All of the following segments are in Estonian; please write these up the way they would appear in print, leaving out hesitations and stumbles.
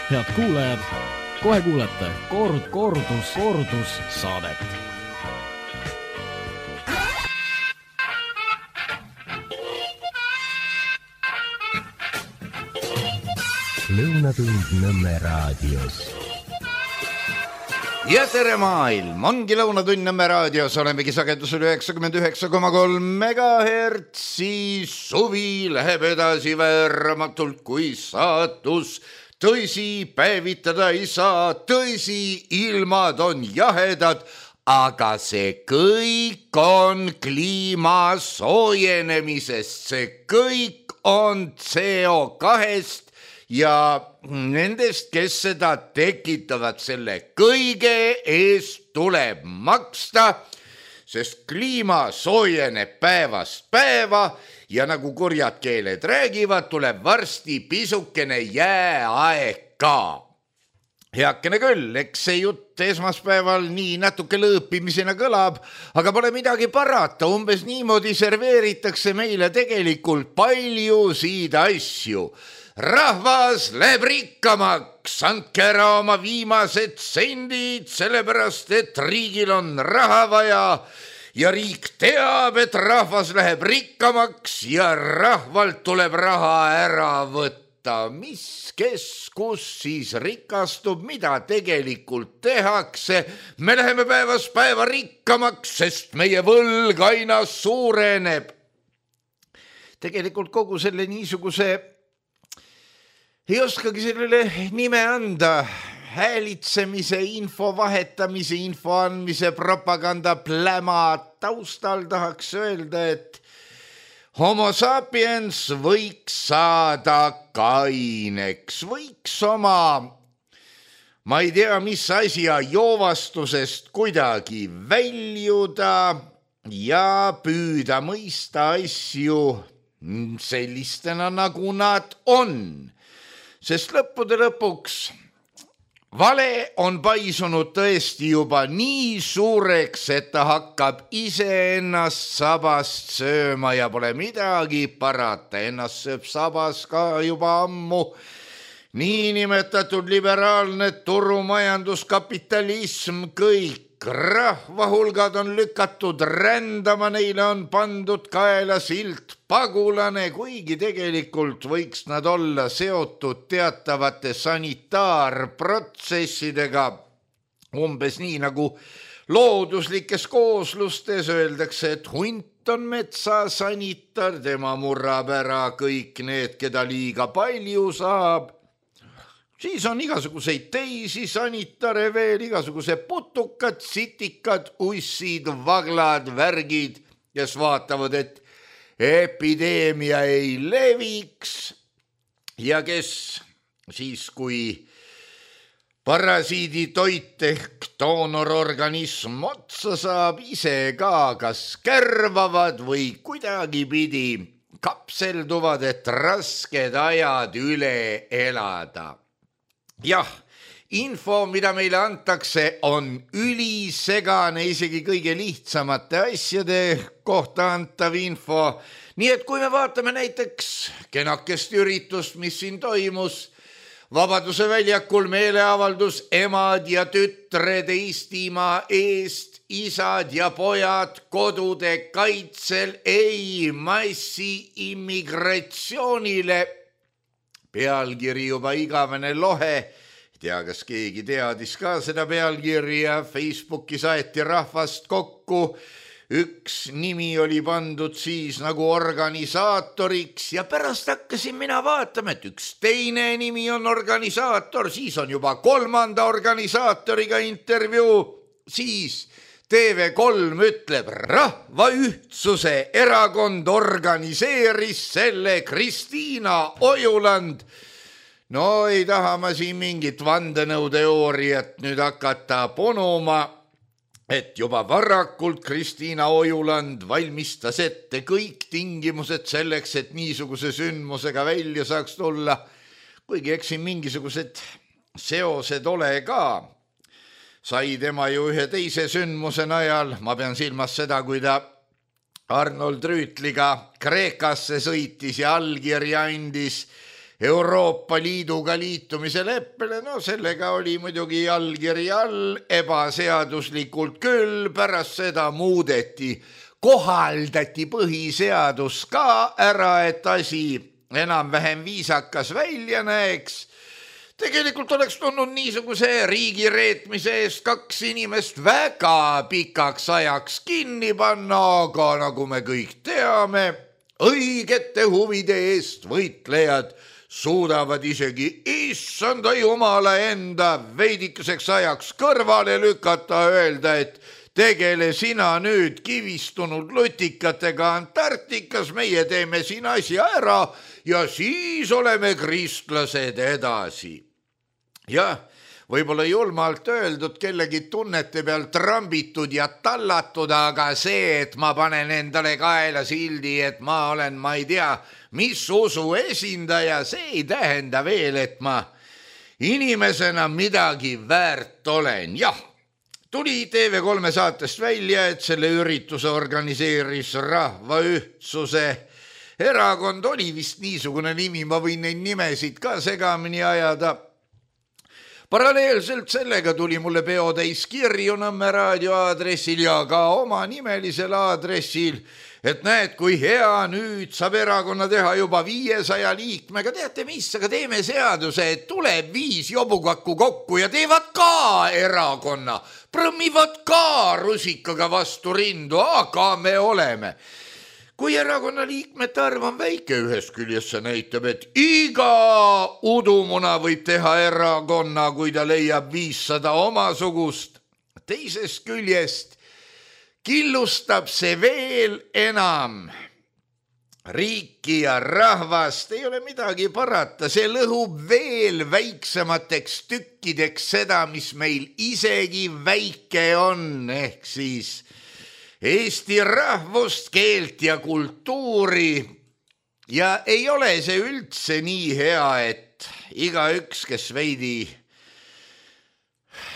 Head kuulajad, kohe kuulete kordus saadet. Lõunatund Nõmme raadios. Ja tere maailm, ongi Lõunatund Nõmme raadios, olemegi sagedusel 99,3 megahertsi. Suvi läheb edasi vääramatult kui saatus. Tõsi, päevitada ei saa, tõsi, ilmad on jahedad, aga see kõik on kliima soojenemisest, see kõik on CO2-st ja nendest, kes seda tekitavad, selle kõige eest tuleb maksta, sest kliima soojeneb päevast päeva ja nagu kurjad keeled räägivad, tuleb varsti pisukene jääaeg ka. Heakene küll, eks see jutt esmaspäeval nii natuke lõõpimisena kõlab, aga pole midagi parata, umbes niimoodi serveeritakse meile tegelikult paljusid asju. Rahvas läheb rikkamaks, andke ära oma viimased sendid, sellepärast et riigil on raha vaja ja riik teab, et rahvas läheb rikkamaks ja rahvalt tuleb raha ära võtta. Mis, kes, kus siis rikastub, mida tegelikult tehakse? Me läheme päevast päeva rikkamaks, sest meie võlg aina suureneb. Tegelikult kogu selle niisuguse ei oskagi sellele nime anda, häälitsemise, info vahetamise, info andmise, propaganda pläma taustal tahaks öelda, et homo sapiens võiks saada kaineks, võiks oma, ma ei tea, mis asja joovastusest kuidagi väljuda ja püüda mõista asju sellistena, nagu nad on. Sest lõppude lõpuks vale on paisunud tõesti juba nii suureks, et ta hakkab iseennast sabast sööma ja pole midagi parata. Ennast sööb sabas ka juba ammu niinimetatud liberaalne turumajanduskapitalism, kõik rahvahulgad on lükatud rändama, neile on pandud kaela silt pagulane, kuigi tegelikult võiks nad olla seotud teatavate sanitaarprotsessidega, umbes nii nagu looduslikes kooslustes öeldakse, et hunt on metsasanitar, tema murrab ära kõik need, keda liiga palju saab. Siis on igasuguseid teisi sanitare veel, igasugused putukad, sitikad, ussid, vaglad, värgid, kes vaatavad, et epideemia ei leviks ja kes siis, kui parasiidi toit ehk doonororganism otsa saab, ise ka kas kärvavad või kuidagi pidi kapselduvad, et rasked ajad üle elada. Jah, info, mida meile antakse, on ülisegane, isegi kõige lihtsamate asjade kohta antav info. Nii et kui me vaatame näiteks kenakest üritust, mis siin toimus, Vabaduse väljakul meeleavaldus emad ja tütred Eestimaa eest, isad ja pojad kodude kaitsel, ei massi immigratsioonile. Pealkiri juba igavene lohe, ei tea, kas keegi teadis ka seda pealkirja, Facebooki saeti rahvast kokku, üks nimi oli pandud siis nagu organisaatoriks ja pärast hakkasin mina vaatama, et üks teine nimi on organisaator, siis on juba kolmanda organisaatoriga intervjuu, siis TV3 ütleb, Rahva Ühtsuse erakond organiseeris selle Kristiina Ojuland. No ei taha ma siin mingit vandenõuteooriat nüüd hakata ponuma, et juba varakult Kristiina Ojuland valmistas ette kõik tingimused selleks, et niisuguse sündmusega välja saaks tulla, kuigi eks siin mingisugused seosed ole ka. Sai tema ju ühe teise sündmuse najal, ma pean silmas seda, kui ta Arnold Rüütliga Kreekasse sõitis ja allkirja andis Euroopa Liiduga liitumise leppele, no sellega oli muidugi allkiri all, ebaseaduslikult küll, pärast seda muudeti, kohaldati põhiseadus ka ära, et asi enam-vähem viisakas välja näeks. Tegelikult oleks tulnud niisuguse riigireetmise eest 2 inimest väga pikaks ajaks kinni panna, aga nagu me kõik teame, õigete huvide eest võitlejad suudavad isegi issanda jumala enda veidikeseks ajaks kõrvale lükata, öelda, et tegele sina nüüd kivistunud lutikatega Antarktikas, meie teeme siin asja ära ja siis oleme kristlased edasi. Jah, võib-olla julmalt öeldud, kellegi tunnete peal trambitud ja tallatud, aga see, et ma panen endale kaela sildi, et ma olen, ma ei tea, mis usu esindaja, see ei tähenda veel, et ma inimesena midagi väärt olen. Jah, tuli TV3 saatest välja, et selle ürituse organiseeris Rahvaühtsuse erakond, oli vist niisugune nimi, ma võin neid nimesid ka segamini ajada. Paralleelselt sellega tuli mulle peotäis kirju Nõmme raadio aadressil ja ka oma nimelisel aadressil, et näed, kui hea, nüüd saab erakonna teha juba 500 liikmega. Teate mis, aga teeme seaduse, et tuleb 5 jobukakku kokku ja teevad ka erakonna, prõmmivad ka rusikaga vastu rindu, aga me oleme. Kui erakonna liikmete arv on väike, ühest küljest see näitab, et iga udumuna võib teha erakonna, kui ta leiab 500 omasugust. Teisest küljest killustab see veel enam riiki ja rahvast, ei ole midagi parata, see lõhub veel väiksemateks tükkideks seda, mis meil isegi väike on, ehk siis Eesti rahvust, keelt ja kultuuri. Ja ei ole see üldse nii hea, et igaüks, kes veidi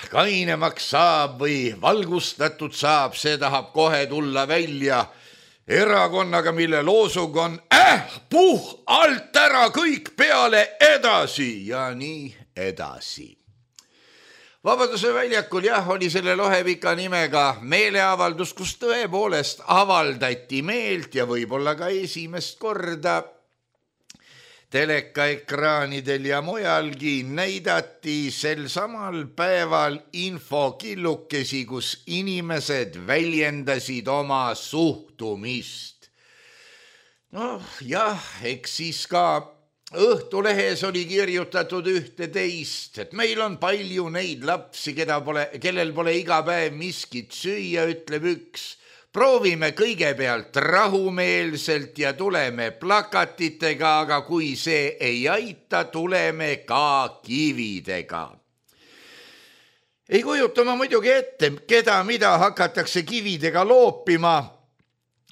kainemaks saab või valgustatud saab, see tahab kohe tulla välja erakonnaga, mille loosung on puh alt ära kõik peale edasi ja nii edasi. Vabaduse väljakul oli selle lohepika nimega meeleavaldus, kus tõepoolest avaldati meelt ja võib-olla ka esimest korda telekaekraanidel ja mujalgi näidati sel samal päeval infokillukesi, kus inimesed väljendasid oma suhtumist. Jah, eks siis ka Õhtulehes oli kirjutatud ühte teist, et meil on palju neid lapsi, kellel pole iga päev miskit süüa, ütleb üks. Proovime kõigepealt rahumeelselt ja tuleme plakatitega, aga kui see ei aita, tuleme ka kividega. Ei kujuta ma muidugi ette, keda mida hakatakse kividega loopima,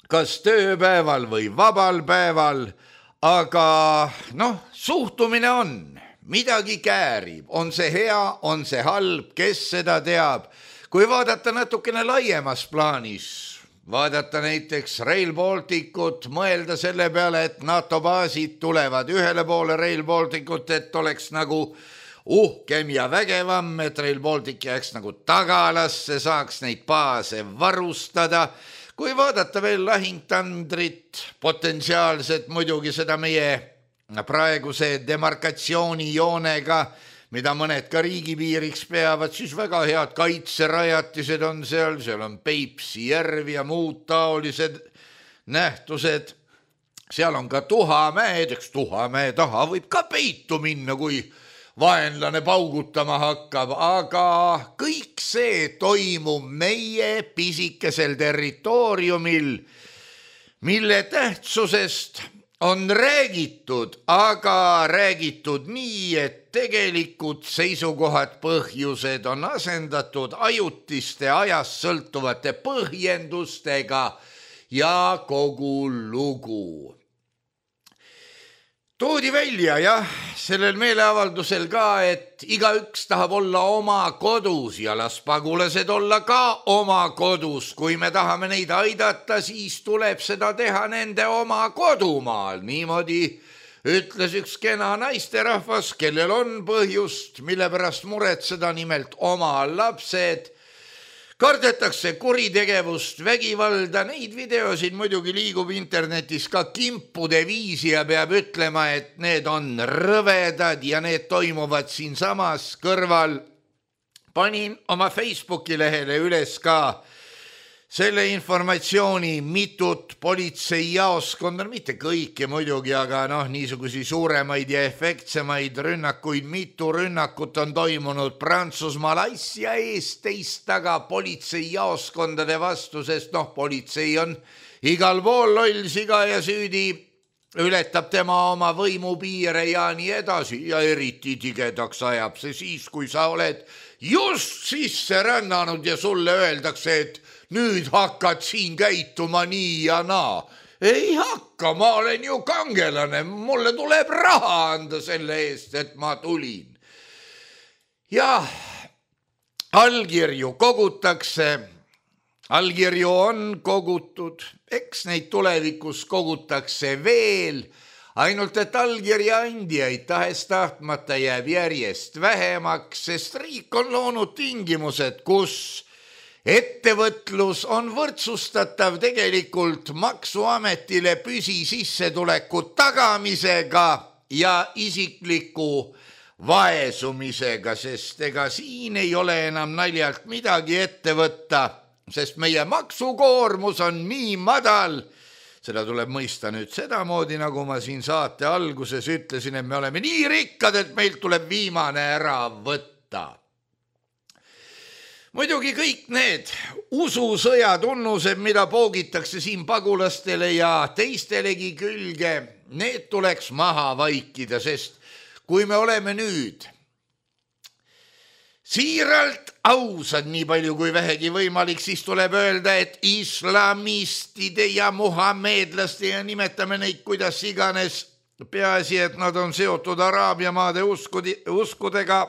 kas tööpäeval või vabal päeval. Aga suhtumine on, midagi käärib, on see hea, on see halb, kes seda teab. Kui vaadata natukene laiemas plaanis, vaadata näiteks Rail Balticut, mõelda selle peale, et NATO baasid tulevad ühele poole Rail Balticut, et oleks nagu uhkem ja vägevam, et Rail Baltic jääks nagu tagalasse, saaks neid baase varustada. Kui vaadata veel lahingtandrit, potentsiaalselt muidugi seda meie praeguse demarkatsioonijoonega, mida mõned ka riigipiiriks peavad, siis väga head kaitserajatised on seal on Peipsi järv ja muud taolised nähtused. Seal on ka Tuhamäed, eks Tuhamäe taha võib ka peitu minna, kui vaenlane paugutama hakkab, aga kõik see toimub meie pisikesel territooriumil, mille tähtsusest on räägitud, aga räägitud nii, et tegelikud seisukohad, põhjused on asendatud ajutiste ajast sõltuvate põhjendustega ja kogu lugu. Toodi välja, sellel meeleavaldusel ka, et igaüks tahab olla oma kodus ja las pagulased olla ka oma kodus. Kui me tahame neid aidata, siis tuleb seda teha nende oma kodumaal. Niimoodi ütles üks kena naisterahvas, kellel on põhjust, mille pärast muretseda, nimelt oma lapsed. Kardetakse kuritegevust, vägivalda, neid videosid muidugi liigub internetis ka kimpude viisi ja peab ütlema, et need on rõvedad ja need toimuvad siinsamas kõrval. Panin oma Facebooki lehele üles ka selle informatsiooni, mitut politseijaoskonda, mitte kõiki muidugi, aga niisugusi suuremaid ja efektsemaid rünnakuid, mitu rünnakut on toimunud Prantsusmaal asja eest teist taga politseijaoskondade vastu, sest politsei on igal pool loll, siga ja süüdi, ületab tema oma võimupiire ja nii edasi ja eriti tigedaks ajab see siis, kui sa oled just sisse rännanud ja sulle öeldakse, et nüüd hakkad siin käituma nii ja naa. Ei hakka, ma olen ju kangelane, mulle tuleb raha anda selle eest, et ma tulin. Ja allkirju kogutakse, allkirju on kogutud, eks neid tulevikus kogutakse veel, ainult et allkirja andjaid tahes-tahtmata jääb järjest vähemaks, sest riik on loonud tingimused, kus ettevõtlus on võrdsustatav tegelikult maksuametile püsisissetuleku tagamisega ja isikliku vaesumisega, sest ega siin ei ole enam naljalt midagi ette võtta, sest meie maksukoormus on nii madal. Seda tuleb mõista nüüd sedamoodi, nagu ma siin saate alguses ütlesin, et me oleme nii rikkad, et meilt tuleb viimane ära võtta. Muidugi kõik need ususõja tunnused, mida poogitakse siin pagulastele ja teistelegi külge, need tuleks maha vaikida, sest kui me oleme nüüd siiralt ausad nii palju kui vähegi võimalik, siis tuleb öelda, et islamistide ja muhamedlaste ja nimetame neid kuidas iganes, peaasi, et nad on seotud Araabia maade uskudega,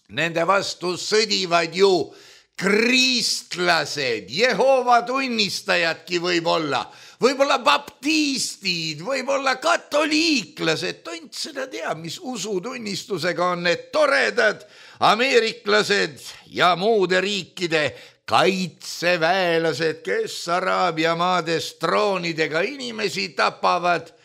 nende vastu sõdivad ju kristlased, Jehova tunnistajadki võib-olla baptistid, võib-olla katoliiklased, tont seda teab, mis usutunnistusega on need toredad ameeriklased ja muude riikide kaitseväelased, kes Araabia maades droonidega inimesi tapavad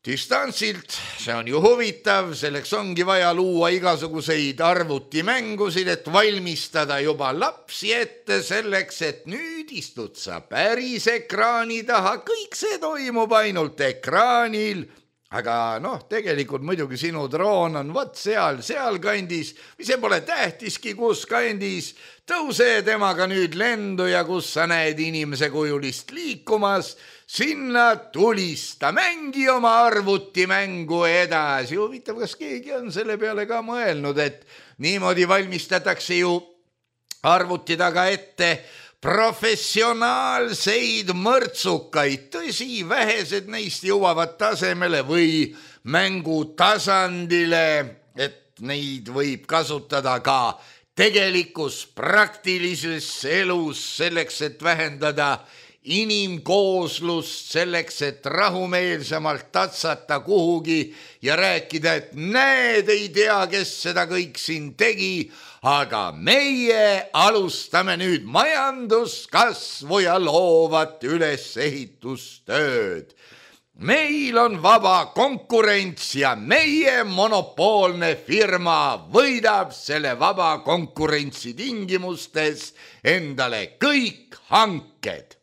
distantsilt. See on ju huvitav, selleks ongi vaja luua igasuguseid arvutimängusid, et valmistada juba lapsi ette selleks, et nüüd istud sa päris ekraani taha, kõik see toimub ainult ekraanil, aga tegelikult muidugi sinu droon on võt seal kandis, või see pole tähtiski, kus kandis, tõuse temaga nüüd lendu ja kus sa näed inimese kujulist liikumas, sinna tulista, mängi oma arvutimängu edasi. Huvitav, kas keegi on selle peale ka mõelnud, et niimoodi valmistatakse ju arvuti taga ette professionaalseid mõrtsukaid. Tõsi, vähesed neist jõuavad tasemele või mängu tasandile, et neid võib kasutada ka tegelikus praktilises elus selleks, et vähendada inimkooslust, selleks, et rahumeelsemalt tatsata kuhugi ja rääkida, et näed, ei tea, kes seda kõik siin tegi, aga meie alustame nüüd majanduskasvu ja loovat ülesehitustööd. Meil on vaba konkurents ja meie monopoolne firma võidab selle vaba konkurentsi tingimustes endale kõik hanked.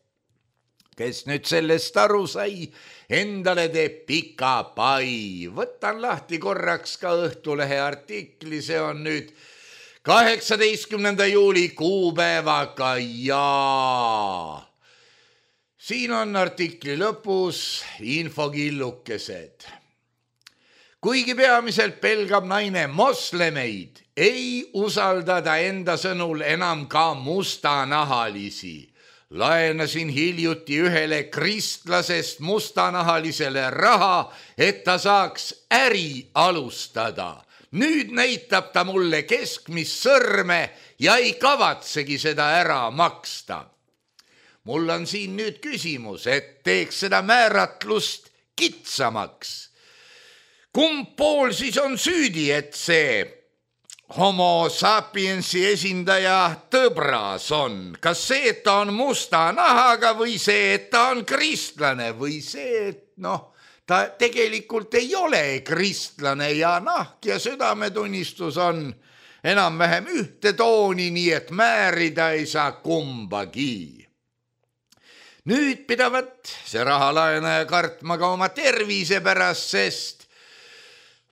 Kes nüüd sellest aru sai, endale teeb pika pai. Võtan lahti korraks ka Õhtulehe artikli, see on nüüd 18. juuli kuupäevaga ja siin on artikli lõpus infokillukesed. Kuigi peamiselt pelgab naine moslemeid, ei usalda ta enda sõnul enam ka mustanahalisi. Laenasin hiljuti ühele kristlasest mustanahalisele raha, et ta saaks äri alustada. Nüüd näitab ta mulle keskmist sõrme ja ei kavatsegi seda ära maksta. Mul on siin nüüd küsimus, et teeks seda määratlust kitsamaks. kumb pool siis on süüdi, et see homo sapiensi esindaja tõbras on? Kas see, et ta on musta nahaga või see, et ta on kristlane või see, et ta tegelikult ei ole kristlane ja nahk ja südametunnistus on enam-vähem ühte tooni, nii et määrida ei saa kumbagi. Nüüd pidavat see rahalaenaja kartma ka oma tervise pärast, sest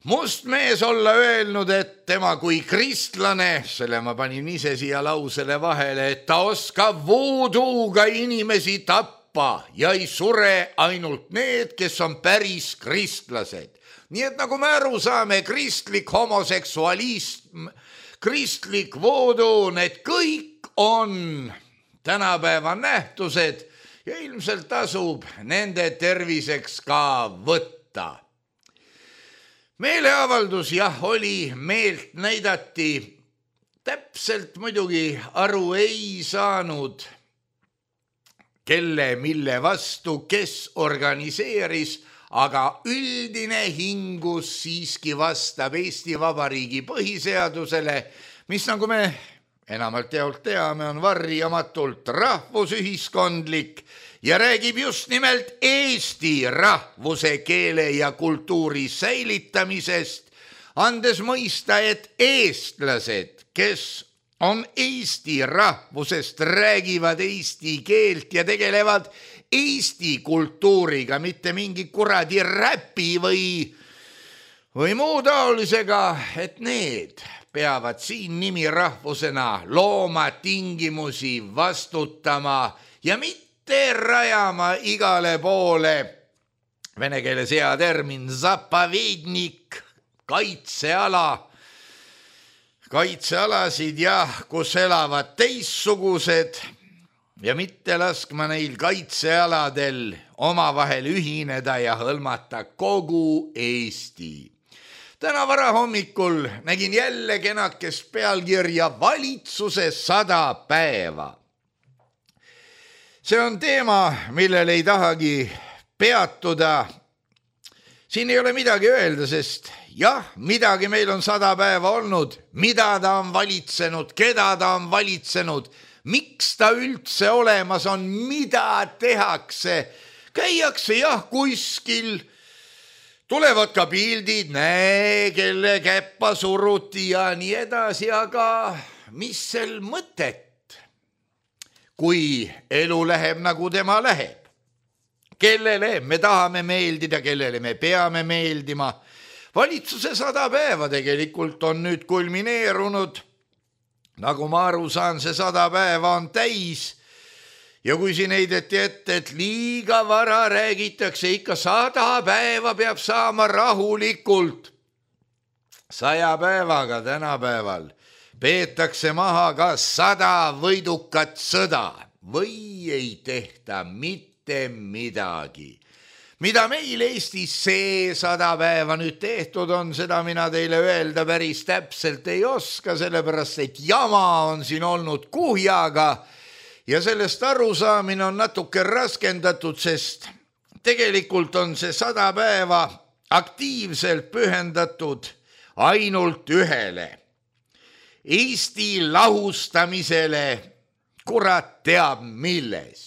must mees olla öelnud, et tema kui kristlane, selle ma panin ise siia lausele vahele, et ta oskab voodooga inimesi tappa ja ei sure ainult need, kes on päris kristlased. Nii et nagu me aru saame, kristlik homoseksualism, kristlik voodoo, need kõik on tänapäeva nähtused ja ilmselt tasub nende terviseks ka võtta. Meeleavaldus oli, meelt näidati, täpselt muidugi aru ei saanud, kelle mille vastu, kes organiseeris, aga üldine hingus siiski vastab Eesti Vabariigi põhiseadusele, mis nagu me enamalt jaolt teame, on varjamatult rahvusühiskondlik ja räägib just nimelt eesti rahvuse, keele ja kultuuri säilitamisest, andes mõista, et eestlased, kes on eesti rahvusest, räägivad eesti keelt ja tegelevad eesti kultuuriga, mitte mingi kuradi räpi või muu taolisega, et need peavad siin nimirahvusena looma tingimusi, vastutama ja mitte rajama igale poole, vene keeles hea termin, zapavednik, kaitsealasid kus elavad teistsugused ja mitte laskma neil kaitsealadel omavahel ühineda ja hõlmata kogu Eesti. Täna varahommikul nägin jälle kenakest pealkirja valitsuse 100 päeva. See on teema, millel ei tahagi peatuda. Siin ei ole midagi öelda, sest midagi meil on 100 päeva olnud, mida ta on valitsenud, keda ta on valitsenud, miks ta üldse olemas on, mida tehakse. Käiakse kuskil, tulevad ka pildid, kelle käppa suruti ja nii edasi, aga mis sel mõtet? Kui elu läheb nagu tema läheb, kellele me tahame meeldida, kellele me peame meeldima. Valitsuse 100 päeva tegelikult on nüüd kulmineerunud. Nagu ma aru saan, see 100 päeva on täis. Ja kui siin heideti ette, et liiga vara räägitakse, ikka 100 päeva peab saama rahulikult. 100 päevaga tänapäeval peetakse maha ka 100 võidukat sõda või ei tehta mitte midagi. Mida meil Eestis see 100 päeva nüüd tehtud on, seda mina teile öelda päris täpselt ei oska, sellepärast et jama on siin olnud kuhjaga ja sellest arusaamine on natuke raskendatud, sest tegelikult on see 100 päeva aktiivselt pühendatud ainult ühele. Eesti lahustamisele, kurat teab milles.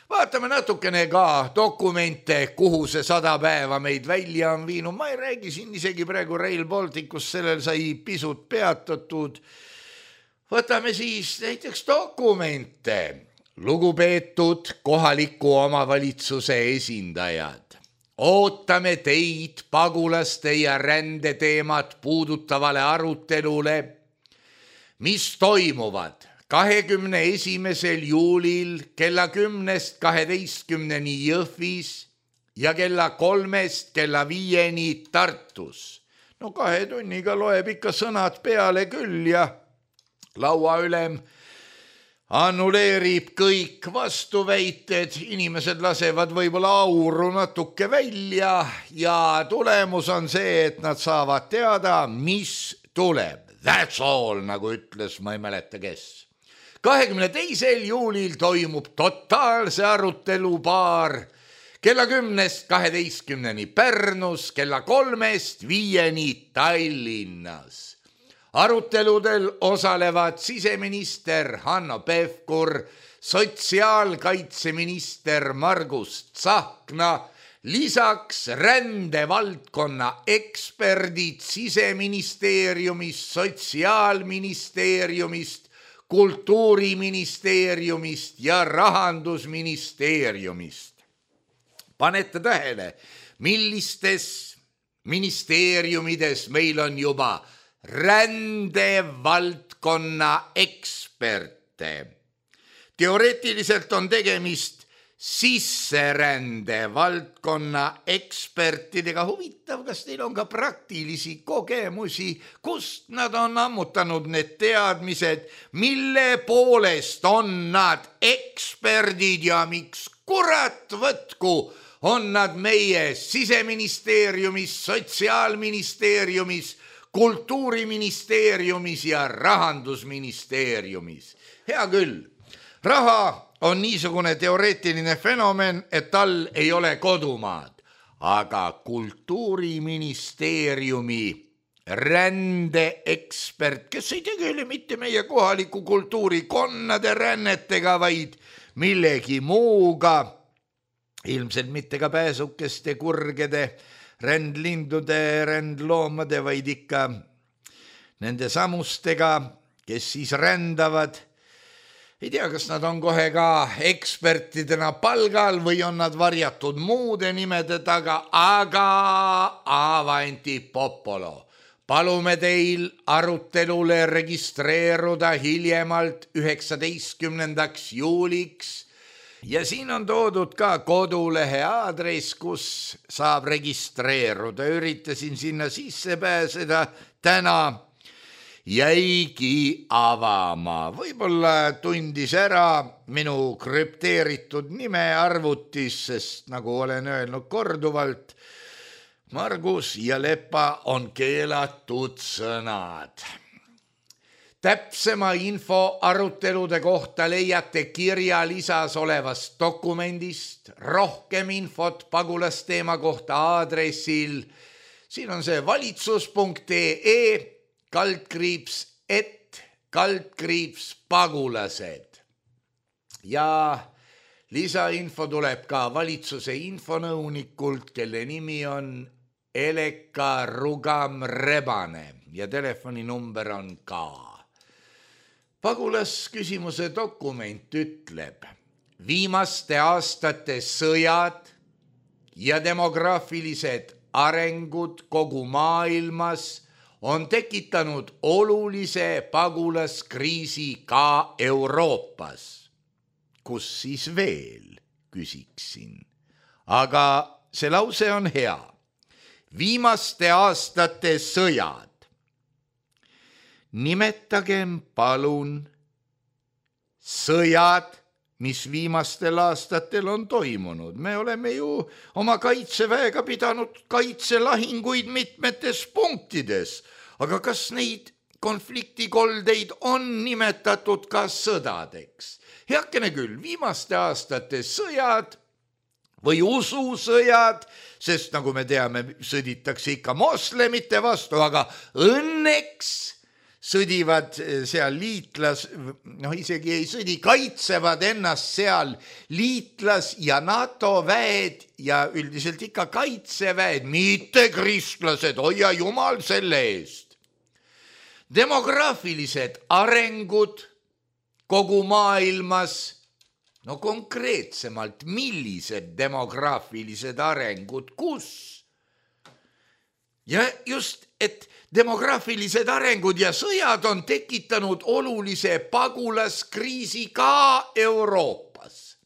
Vaatame natukene ka dokumente, kuhu see 100 päeva meid välja on viinud. Ma ei räägi siin isegi praegu Rail Balticust, sellel sai pisut peatatud. Võtame siis näiteks dokumente. Lugupeetud kohaliku omavalitsuse esindajad. Ootame teid pagulaste ja rändeteemat puudutavale arutelule, mis toimuvad 21. juulil kella 10-12 Jõhvis ja kella 3 kella 5 Tartus. 2 tunniga loeb ikka sõnad peale küll ja lauaülem annuleerib kõik vastuväited, inimesed lasevad võib-olla auru natuke välja ja tulemus on see, et nad saavad teada, mis tuleb. That's all, nagu ütles, ma ei mäleta kes. 22. juulil toimub totaalse arutelu paar kella 10-12 Pärnus, kella 3-5 Tallinnas. Aruteludel osalevad siseminister Hanno Pevkur, sotsiaalkaitseminister Margus Tsahkna, lisaks rändevaldkonna eksperdid Siseministeeriumist, Sotsiaalministeeriumist, Kultuuriministeeriumist ja Rahandusministeeriumist. Panete tähele, millistes ministeeriumides meil on juba rändevaldkonna eksperte. Teoreetiliselt on tegemist sisserände valdkonna ekspertidega. Huvitav, kas teil on ka praktilisi kogemusi, kust nad on ammutanud need teadmised, mille poolest on nad eksperdid ja miks kurat võtku on nad meie Siseministeeriumis, Sotsiaalministeeriumis, Kultuuriministeeriumis ja Rahandusministeeriumis. Hea küll, raha on niisugune teoreetiline fenomen, et tal ei ole kodumaad, aga Kultuuriministeeriumi rändeekspert, kes ei tegele mitte meie kohaliku kultuurikonnade rännetega, vaid millegi muuga, ilmselt mitte ka pääsukeste, kurgede, rändlindude, rändloomade, vaid ikka nende samustega, kes siis rändavad. Ei tea, kas nad on kohe ka ekspertidena palgal või on nad varjatud muude nimede taga, aga avanti popolo. Palume teil arutelule registreeruda hiljemalt 19. juuliks ja siin on toodud ka kodulehe aadress, kus saab registreeruda. Üritasin sinna sisse pääseda, täna jäigi avama. Võib-olla tundis ära minu krüpteeritud nime arvutis, sest nagu olen öelnud korduvalt, Margus ja Lepa on keelatud sõnad. Täpsema info arutelude kohta leiate kirjalisas olevast dokumendist. Rohkem infot pagulasteema kohta aadressil. Siin on see valitsus.ee/pagulased. Ja lisainfo tuleb ka valitsuse infonõunikult, kelle nimi on Eleka Rugam-Rebane ja telefoninumber on ka. Pagulasküsimuse dokument ütleb, viimaste aastate sõjad ja demograafilised arengud kogu maailmas on tekitanud olulise pagulaskriisi ka Euroopas. Kus siis veel, küsiksin. Aga see lause on hea. Viimaste aastate sõjad. Nimetagem palun sõjad, mis viimastel aastatel on toimunud. Me oleme ju oma kaitseväega pidanud kaitselahinguid mitmetes punktides, aga kas neid konfliktikoldeid on nimetatud ka sõdadeks? Heakene küll, viimaste aastate sõjad või ususõjad, sest nagu me teame, sõditakse ikka moslemite vastu, aga õnneks sõdivad seal isegi ei sõdi, kaitsevad ennast seal liitlas- ja NATO väed ja üldiselt ikka kaitseväed, mitte kristlased, hoia jumal selle eest. Demograafilised arengud kogu maailmas, no konkreetsemalt, millised demograafilised arengud, kus? Ja just, et demograafilised arengud ja sõjad on tekitanud olulise pagulaskriisi ka Euroopas.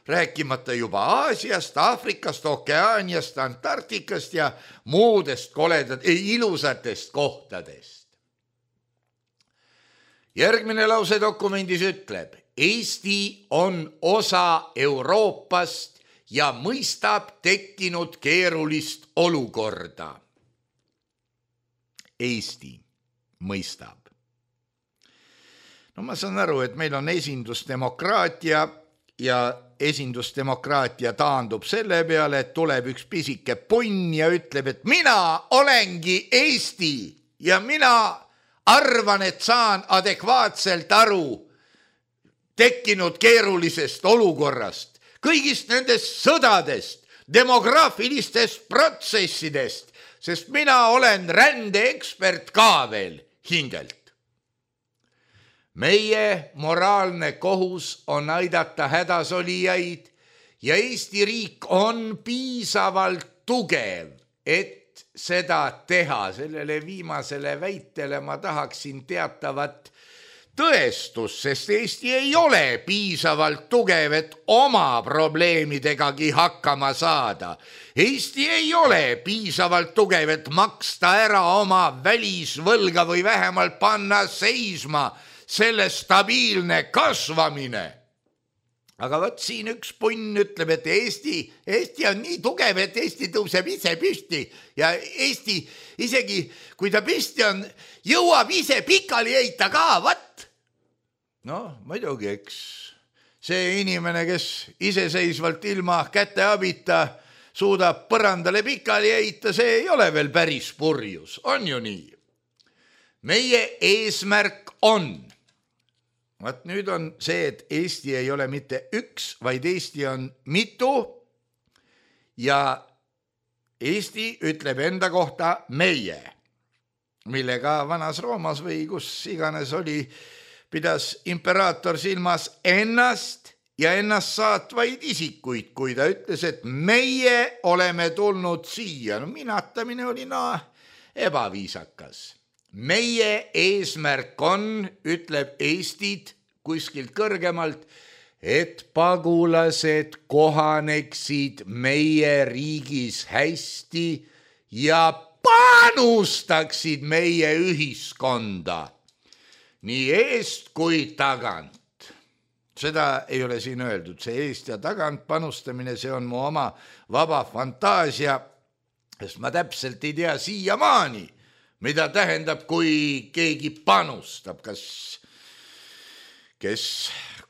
Rääkimata juba Aasiast, Aafrikast, Okeaaniast, Antarktikast ja muudest ilusatest kohtadest. Järgmine lause dokumendis ütleb, Eesti on osa Euroopast ja mõistab tekkinud keerulist olukorda. Eesti mõistab. No ma saan aru, et meil on esindusdemokraatia ja esindusdemokraatia taandub selle peale, et tuleb üks pisike punn ja ütleb, et mina olengi Eesti ja mina arvan, et saan adekvaatselt aru tekkinud keerulisest olukorrast, kõigist nendest sõdadest, demograafilistest protsessidest, sest mina olen rändeekspert ka veel hingelt. Meie moraalne kohus on aidata hädasolijaid ja Eesti riik on piisavalt tugev, et seda teha. Sellele viimasele väitele ma tahaksin teatavat tõestust, sest Eesti ei ole piisavalt tugev, et oma probleemidegagi hakkama saada. Eesti ei ole piisavalt tugev, et maksta ära oma välisvõlga või vähemalt panna seisma selle stabiilne kasvamine. Aga võt siin üks punn ütleb, et Eesti on nii tugev, et Eesti tõuseb ise püsti ja Eesti isegi, kui ta püsti on, jõuab ise pikali heita ka, võt. No muidugi, eks see inimene, kes iseseisvalt ilma käte abita suudab põrandale pikali heita, see ei ole veel päris purjus, on ju nii. Meie eesmärk on, vaat nüüd on see, et Eesti ei ole mitte üks, vaid Eesti on mitu ja Eesti ütleb enda kohta meie, millega Vanas Roomas või kus iganes oli, pidas imperaator silmas ennast ja ennast saatvaid isikuid, kui ta ütles, et meie oleme tulnud siia. No minatamine oli ebaviisakas. Meie eesmärk on, ütleb Eestit kuskilt kõrgemalt, et pagulased kohaneksid meie riigis hästi ja panustaksid meie ühiskonda nii eest kui tagant. Seda ei ole siin öeldud, see eest ja tagant panustamine, see on mu oma vaba fantaasia, sest ma täpselt ei tea siiamaani, mida tähendab, kui keegi panustab, kes,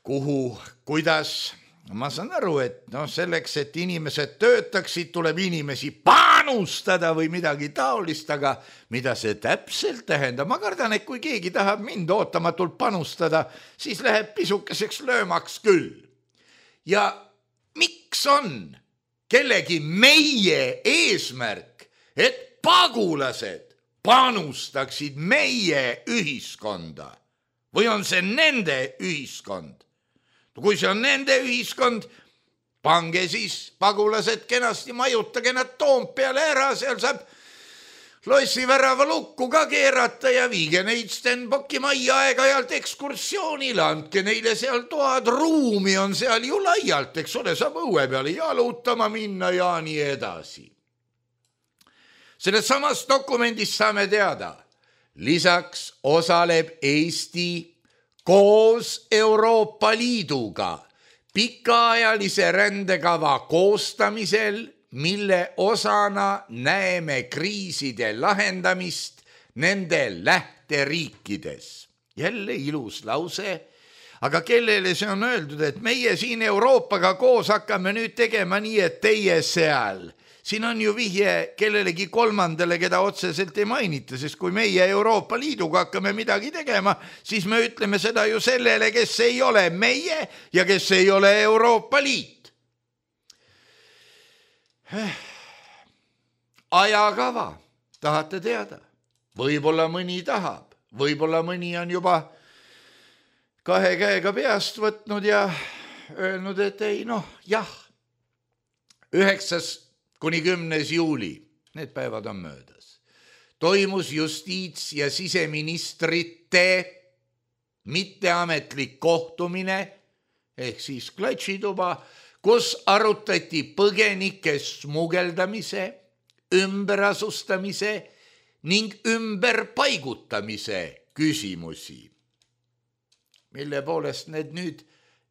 kuhu, kuidas. Ma saan aru, et selleks, et inimesed töötaksid, tuleb inimesi panustada või midagi taolist, aga mida see täpselt tähendab? Ma kardan, et kui keegi tahab mind ootamatult panustada, siis läheb pisukeseks löömaks küll. Ja miks on kellegi meie eesmärk, et pagulased panustaksid meie ühiskonda? Või on see nende ühiskond? Kui see on nende ühiskond, pange siis pagulased kenasti, majutage nad Toompeale ära, seal saab lossivärava lukku ka keerata ja viige neid Stenbocki majja aeg-ajalt ekskursioonile, andke neile seal toad, ruumi on seal ju laialt, eks ole, saab õue peale jalutama minna ja nii edasi. Selles samas dokumendis saame teada, lisaks osaleb Eesti koos Euroopa Liiduga pikaajalise rändekava koostamisel, mille osana näeme kriiside lahendamist nende lähteriikides. Jälle ilus lause, aga kellele see on öeldud, et meie siin Euroopaga koos hakkame nüüd tegema nii, et teie seal. Siin on ju vihje kellelegi kolmandale, keda otseselt ei mainita, sest kui meie Euroopa Liiduga hakkame midagi tegema, siis me ütleme seda ju sellele, kes ei ole meie ja kes ei ole Euroopa Liit. Ajakava, tahate teada? Võib-olla mõni tahab, võib-olla mõni on juba 2 käega peast võtnud ja öelnud, et ei, jah, 9. kuni 10. juuli, need päevad on möödas, toimus justiits- ja siseministrite mitteametlik kohtumine ehk siis klatšituba, kus arutati põgenike smugeldamise, ümberasustamise ning ümberpaigutamise küsimusi. Mille poolest need nüüd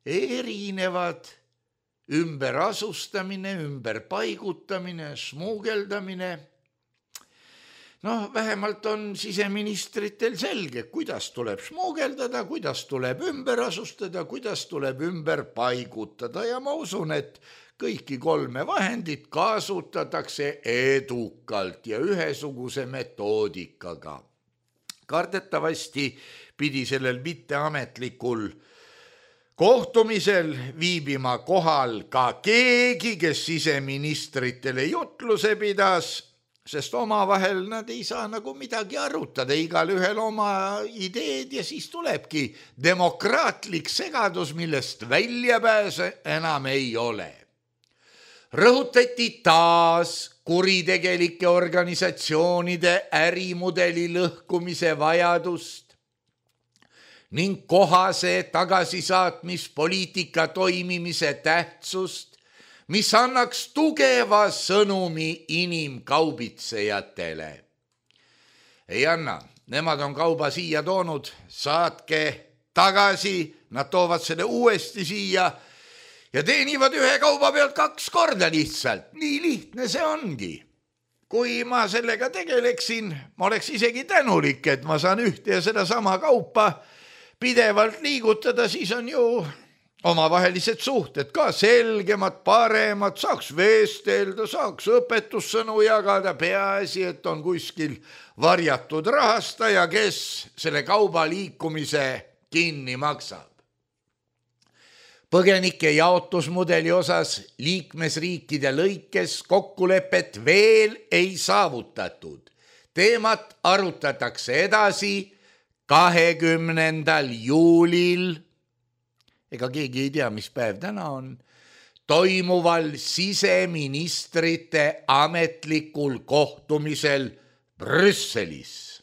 erinevad? Ümberasustamine, ümberpaigutamine, smugeldamine. Noh, vähemalt on siseministritel selge, kuidas tuleb smuugeldada, kuidas tuleb ümber asustada, kuidas tuleb ümber paigutada ja ma usun, et kõiki 3 vahendit kasutatakse edukalt ja ühesuguse metoodikaga. Kardetavasti pidi sellel mitteametlikul kohtumisel viibima kohal ka keegi, kes siseministritele jutluse pidas, sest omavahel nad ei saa nagu midagi arutada, igal ühel oma ideed ja siis tulebki demokraatlik segadus, millest väljapääse enam ei ole. Rõhutati taas kuritegelike organisatsioonide ärimudeli lõhkumise vajadust ning kohase tagasisaatmispoliitika toimimise tähtsust, mis annaks tugeva sõnumi inimkaubitsejatele. Ei anna, nemad on kauba siia toonud, saatke tagasi, nad toovad selle uuesti siia ja teenivad ühe kauba pealt 2 korda lihtsalt. Nii lihtne see ongi. Kui ma sellega tegeleksin, ma oleks isegi tänulik, et ma saan ühte ja seda sama kaupa pidevalt liigutada, siis on ju omavahelised suhted ka selgemad, paremad, saaks vestelda, saaks õpetussõnu jagada, peaasi, et on kuskil varjatud rahastaja, kes selle kauba liikumise kinni maksab. Põgenike jaotusmudeli osas liikmesriikide lõikes kokkulepet veel ei saavutatud. Teemat arutatakse edasi 20. juulil, ega keegi ei tea, mis päev täna on, toimuval siseministrite ametlikul kohtumisel Brüsselis.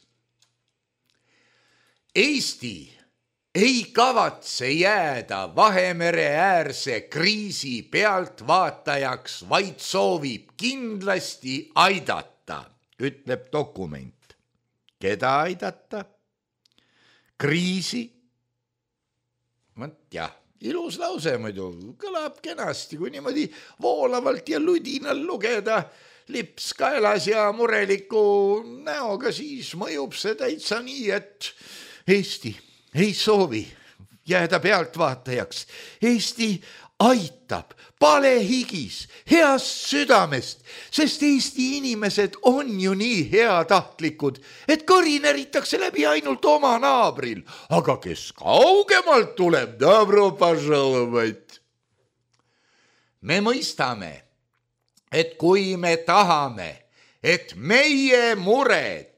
Eesti ei kavatse jääda Vahemere äärse kriisi pealtvaatajaks, vaid soovib kindlasti aidata, ütleb dokument. Keda aidata? Kriisi? Jah, ilus lause muidu, kõlab kenasti, kui niimoodi voolavalt ja ludinal lugeda, lips kaelas ja mureliku näoga, siis mõjub see täitsa nii, et Eesti ei soovi jääda pealtvaatajaks. Eesti aitab palehigis, heast südamest, sest Eesti inimesed on ju nii heatahtlikud, et kõrineritakse läbi ainult oma naabril, aga kes kaugemalt tuleb, dobro poželovать. Me mõistame, et kui me tahame, et meie mured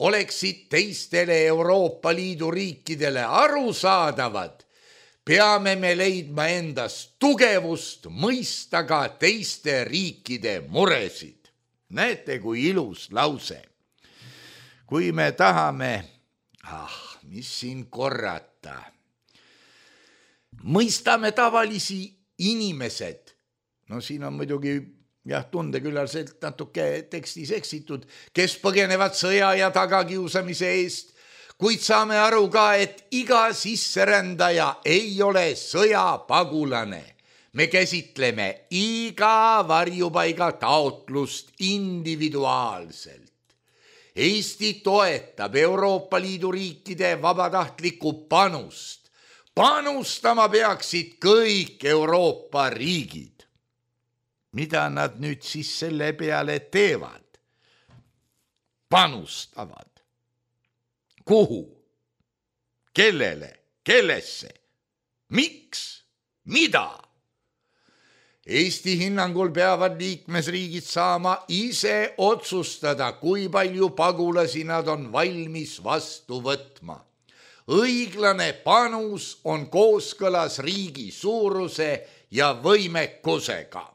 oleksid teistele Euroopa Liidu riikidele arusaadavad, peame me leidma endas tugevust mõista ka teiste riikide muresid. Näete, kui ilus lause. Kui me tahame, mis siin korrata, mõistame tavalisi inimesed, no siin on muidugi tundeküllalselt natuke tekstis eksitud, kes põgenevad sõja ja tagakiusamise eest, kuid saame aru ka, et iga sisserändaja ei ole sõjapagulane. Me käsitleme iga varjupaiga taotlust individuaalselt. Eesti toetab Euroopa Liidu riikide vabatahtlikku panust. Panustama peaksid kõik Euroopa riigid. Mida nad nüüd siis selle peale teevad? Panustavad. Kuhu? Kellele? Kellesse? Miks? Mida? Eesti hinnangul peavad liikmesriigid saama ise otsustada, kui palju pagulasi nad on valmis vastu võtma. Õiglane panus on kooskõlas riigi suuruse ja võimekusega.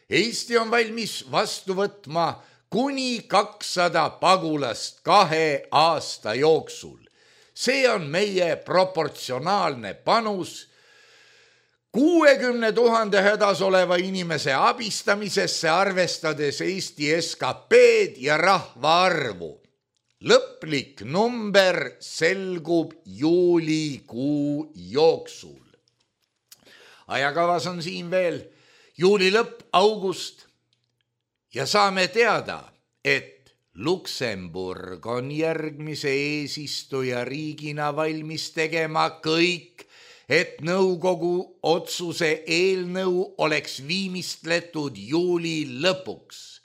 Eesti on valmis vastu võtma kuni 200 pagulast 2 aasta jooksul. See on meie proportsionaalne panus 60 000 hädas oleva inimese abistamisesse, arvestades Eesti SKP-d ja rahvaarvu. Lõplik number selgub juulikuu jooksul. Ajakavas on siin veel juuli lõpp, august ja saame teada, et Luksemburg on järgmise eesistuja riigina valmis tegema kõik, et nõukogu otsuse eelnõu oleks viimistletud juuli lõpuks.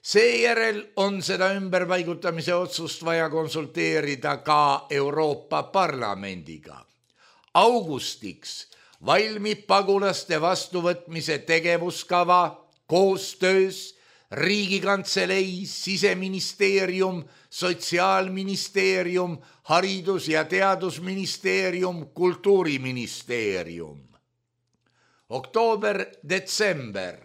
Seejärel on seda ümberpaigutamise otsust vaja konsulteerida ka Euroopa Parlamendiga. Augustiks valmib pagulaste vastuvõtmise tegevuskava koostöös Riigikantselei, Siseministeerium, Sotsiaalministeerium, Haridus- ja Teadusministeerium, Kultuuriministeerium. Oktoober-detsember.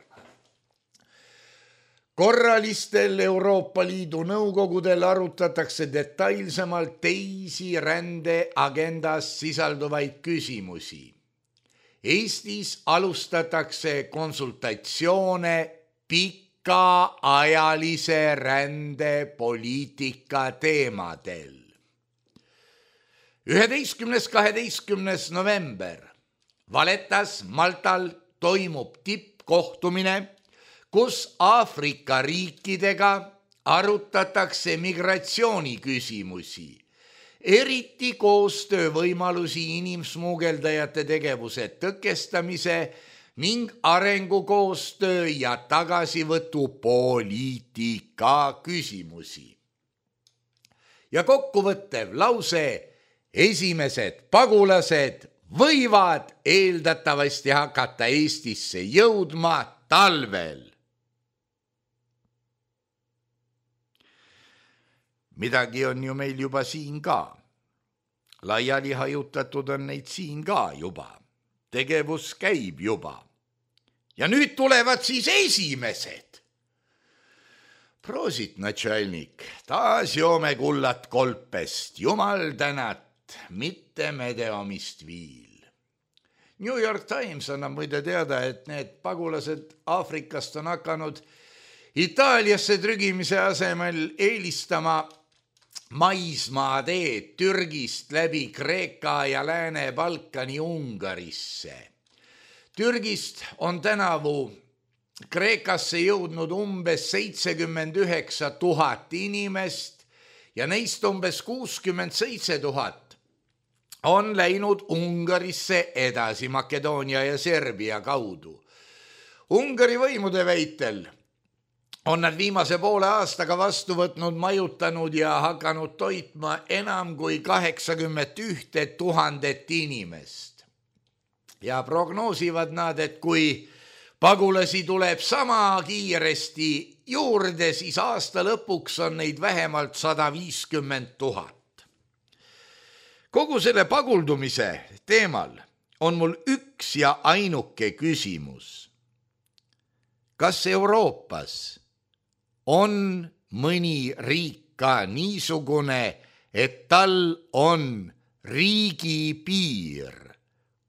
Korralistel Euroopa Liidu nõukogudel arutatakse detailsemalt teisi rändeagendas sisalduvaid küsimusi. Eestis alustatakse konsultatsioone pikaajalise rändepoliitika teemadel. 11.–12. november. Valettas Maltal toimub tippkohtumine, kus Aafrika riikidega arutatakse migratsiooniküsimusi, eriti koostöövõimalusi inimsmugeldajate tegevuse tõkestamise ning arengukoostöö ja tagasivõtupoliitika küsimusi. Ja kokkuvõttev lause: esimesed pagulased võivad eeldatavasti hakata Eestisse jõudma talvel. Midagi on ju meil juba siin ka. Laiali hajutatud on neid siin ka juba. Tegevus käib juba. Ja nüüd tulevad siis esimesed. Proosit, natšalnik, taas joome kullat kolpest, jumal tänat, mitte medeomist viil. New York Times annab muide teada, et need pagulased Aafrikast on hakanud Itaaliasse trügimise asemel eelistama maismaateed Türgist läbi Kreeka ja Lääne-Balkani Ungarisse. Türgist on tänavu Kreekasse jõudnud umbes 79 000 inimest ja neist umbes 67 000 on läinud Ungarisse edasi Makedoonia ja Serbia kaudu. Ungari võimude väitel on nad viimase poole aastaga vastu võtnud, majutanud ja hakanud toitma enam kui 81 000 inimest. Ja prognoosivad nad, et kui pagulasi tuleb sama kiiresti juurde, siis aasta lõpuks on neid vähemalt 150 000. Kogu selle paguldumise teemal on mul üks ja ainuke küsimus. Kas Euroopas on mõni riik ka niisugune, et tal on riigipiir,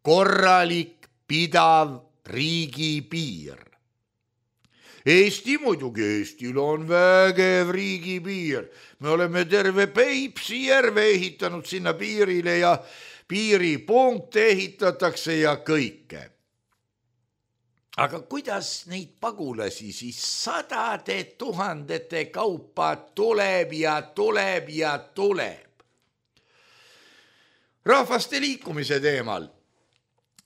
korralik, pidav riigipiir? Eesti muidugi, Eestil on vägev riigipiir. Me oleme terve Peipsi järve ehitanud sinna piirile ja piiripunkte ehitatakse ja kõike. Aga kuidas neid pagulasi siis 100 000 kaupa tuleb ja tuleb ja tuleb? Rahvaste liikumise teemal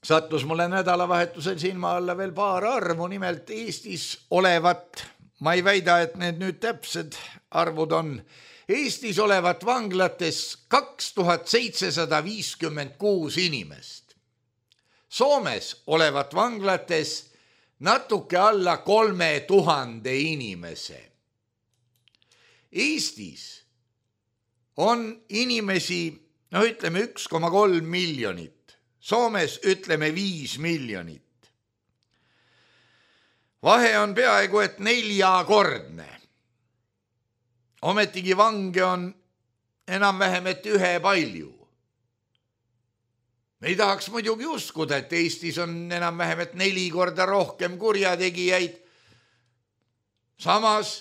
sattus mulle nädalavahetusel silma alla veel paar arvu, nimelt Eestis olevat, ma ei väida, et need nüüd täpsed arvud on, Eestis olevat vanglates 2756 inimest. Soomes olevat vanglates natuke alla 3000 inimese. Eestis on inimesi, ütleme 1,3 miljonit. Soomes ütleme 5 miljonit. Vahe on peaaegu et 4-kordne. Ometigi vange on enam-vähem et ühepalju. Me ei tahaks muidugi uskuda, et Eestis on enam-vähem et 4 korda rohkem kurjategijaid. Samas,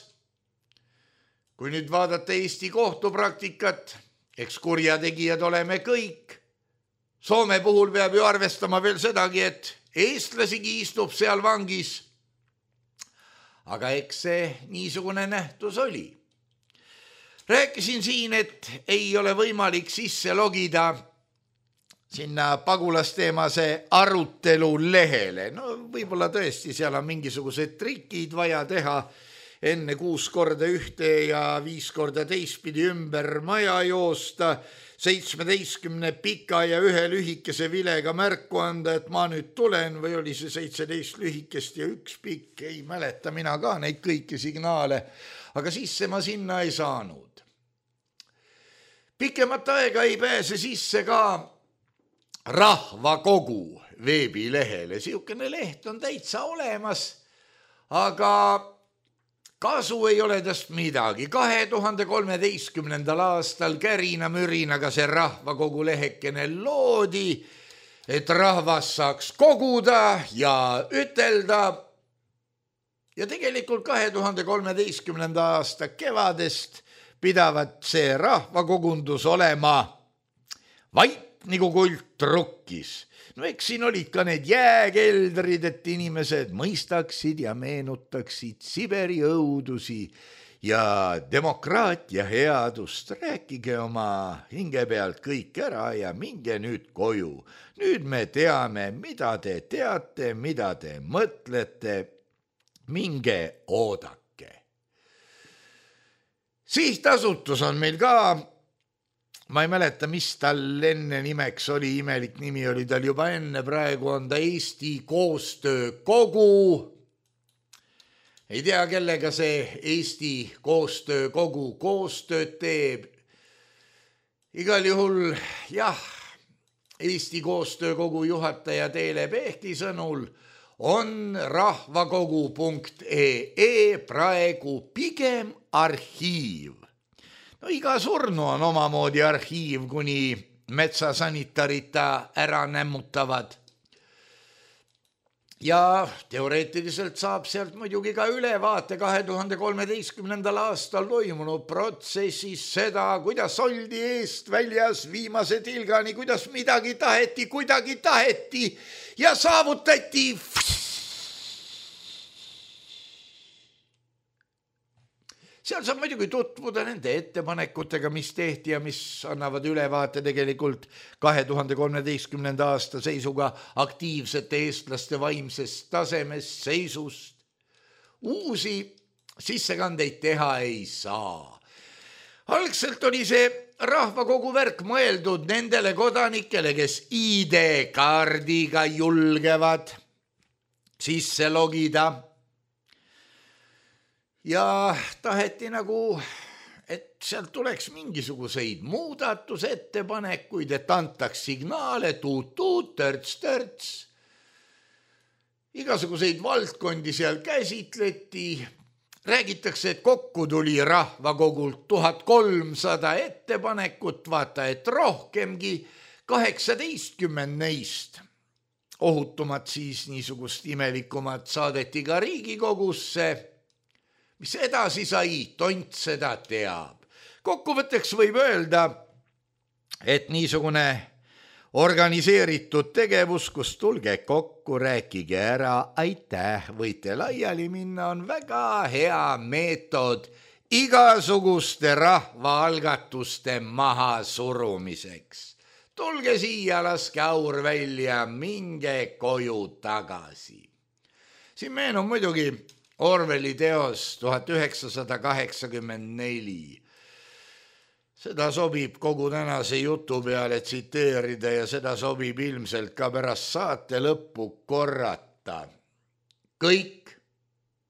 kui nüüd vaadata Eesti kohtupraktikat, eks kurjategijad oleme kõik. Soome puhul peab ju arvestama veel sedagi, et eestlasigi istub seal vangis. Aga eks see niisugune nähtus oli. Rääkisin siin, et ei ole võimalik sisse logida sinna pagulasteemase arutelu lehele. No võib-olla tõesti seal on mingisugused trikid vaja teha, enne 6 korda ühte ja 5 korda teistpidi ümber maja joosta, 17 pika ja 1 lühikese vilega märku anda, et ma nüüd tulen, või oli see 17 lühikest ja 1 pikk, ei mäleta mina ka neid kõiki signaale, aga sisse ma sinna ei saanud. Pikemat aega ei pääse sisse ka Rahvakogu veebilehele. Siukene leht on täitsa olemas, aga kasu ei ole tast midagi. 2013. aastal kärina-mürinaga see Rahvakogu lehekene loodi, et rahvas saaks koguda ja ütelda. Ja tegelikult 2013. aasta kevadest pidavat see rahvakogundus olema vait nagu kult rukkis. No eks siin olid ka need jääkeldrid, et inimesed mõistaksid ja meenutaksid Siberi õudusi ja demokraatia headust. Rääkige oma hinge pealt kõik ära ja minge nüüd koju. Nüüd me teame, mida te teate, mida te mõtlete. Minge oodake. Sihtasutus on meil ka, ma ei mäleta, mis tal enne nimeks oli, imelik nimi oli tal juba enne, praegu on ta Eesti Koostöökogu. Ei tea, kellega see Eesti Koostöökogu koostööd teeb. Igal juhul, jah, Eesti Koostöökogu juhataja Teele Pehti sõnul on rahvakogu.ee praegu pigem arhiiv. No iga surnu on omamoodi arhiiv, kuni metsasanitarid ära nämmutavad. Ja teoreetiliselt saab sealt muidugi ka ülevaate 2013. aastal toimunud protsessis seda, kuidas oldi eest väljas viimase tilgani, kuidas midagi taheti, kuidagi taheti ja saavutati. Seal saab muidugi tutvuda nende ettepanekutega, mis tehti ja mis annavad ülevaate tegelikult 2013. aasta seisuga aktiivsete eestlaste vaimsest tasemest, seisust. Uusi sissekandeid teha ei saa. Algselt oli see rahvakogu värk mõeldud nendele kodanikele, kes ID-kaardiga julgevad sisse logida. Ja taheti nagu, et sealt tuleks mingisuguseid muudatusettepanekuid, et antaks signaale, tuut-tuut, törts-törts. Igasuguseid valdkondi seal käsitleti. Räägitakse, et kokku tuli rahvakogult 1300 ettepanekut, vaata, et rohkemgi 18 neist. Ohutumad siis niisugust imelikumat saadeti ka Riigikogusse. Mis edasi sai, tont seda teab. Kokkuvõtteks võib öelda, et niisugune organiseeritud tegevus, kus tulge kokku, rääkige ära, aitäh, võite laiali minna, on väga hea meetod igasuguste rahvaalgatuste maha surumiseks. Tulge siia, laske aur välja, minge koju tagasi. Siin meenub muidugi Orwelli teos 1984. Seda sobib kogu tänase jutu peale tsiteerida ja seda sobib ilmselt ka pärast saate lõppu korrata. Kõik,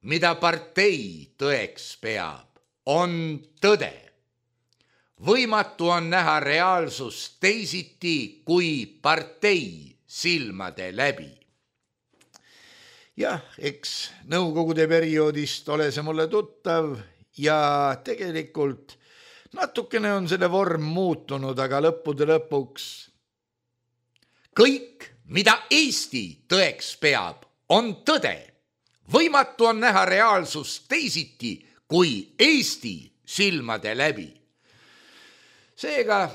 mida partei tõeks peab, on tõde. Võimatu on näha reaalsust teisiti kui partei silmade läbi. Jah, eks nõukogude perioodist ole see mulle tuttav ja tegelikult natukene on selle vorm muutunud, aga lõppude lõpuks kõik, mida Eesti tõeks peab, on tõde. Võimatu on näha reaalsust teisiti kui Eesti silmade läbi. Seega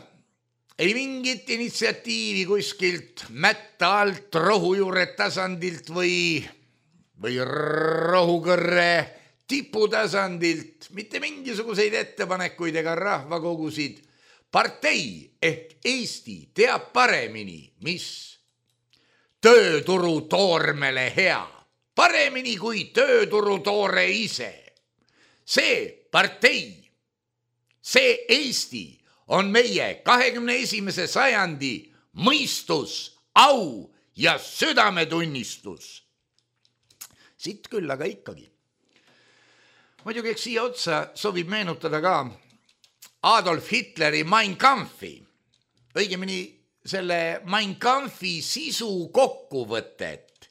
ei mingit initsiatiivi kuskilt mätta alt rohujuure tasandilt või rohukõrre tiputasandilt mitte mingisuguseid ettepanekuid ega rahvakogusid. Partei ehk Eesti teab paremini, mis tööturu toormele hea, paremini kui tööturu toore ise. See partei, see Eesti on meie 21. sajandi mõistus, au ja südametunnistus. Siit küll, aga ikkagi. Muidugi eks siia otsa sobib meenutada ka Adolf Hitleri Mein Kampfi, õigemini selle Mein Kampfi sisu kokkuvõtet,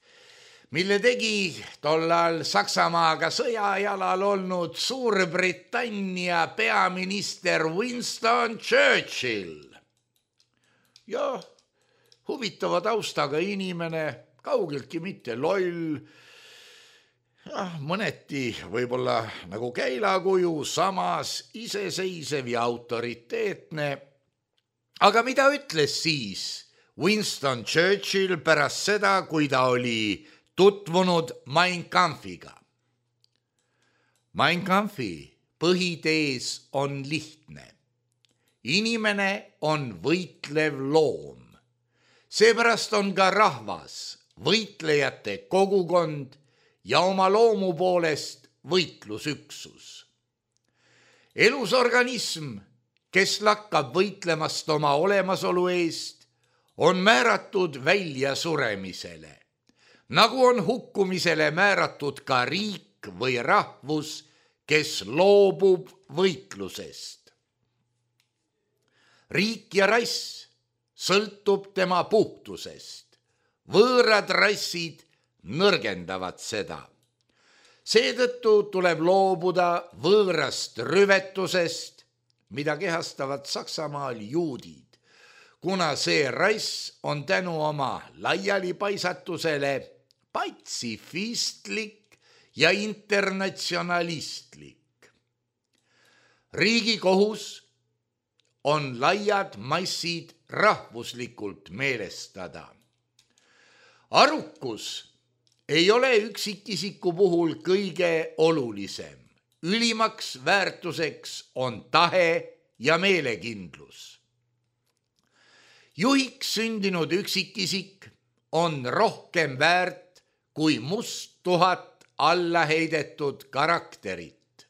mille tegi tollal Saksamaaga sõjajalal olnud Suurbritannia peaminister Winston Churchill. Ja huvitava taustaga inimene, kaugeltki mitte loll, mõneti võib-olla nagu käilakuju, samas iseseisev ja autoriteetne. Aga mida ütles siis Winston Churchill pärast seda, kui ta oli tutvunud Mein Kampfiga? Mein Kampfi põhitees on lihtne. Inimene on võitlev loom. Seepärast on ka rahvas, võitlejate kogukond ja oma loomu poolest võitlusüksus. Elus organism, kes lakkab võitlemast oma olemasolu eest, on määratud välja suremisele, nagu on hukkumisele määratud ka riik või rahvus, kes loobub võitlusest. Riik ja rass sõltub tema puhtusest, võõrad rassid nõrgendavad seda. Seetõttu tuleb loobuda võõrast rüvetusest, mida kehastavad Saksamaal juudid, kuna see rass on tänu oma laialipaisatusele patsifistlik ja internatsionalistlik. Riigi kohus on laiad massid rahvuslikult meelestada. Arukus ei ole üksikisiku puhul kõige olulisem. Ülimaks väärtuseks on tahe ja meelekindlus. Juhiks sündinud üksikisik on rohkem väärt kui must 1000 allaheidetud karakterit.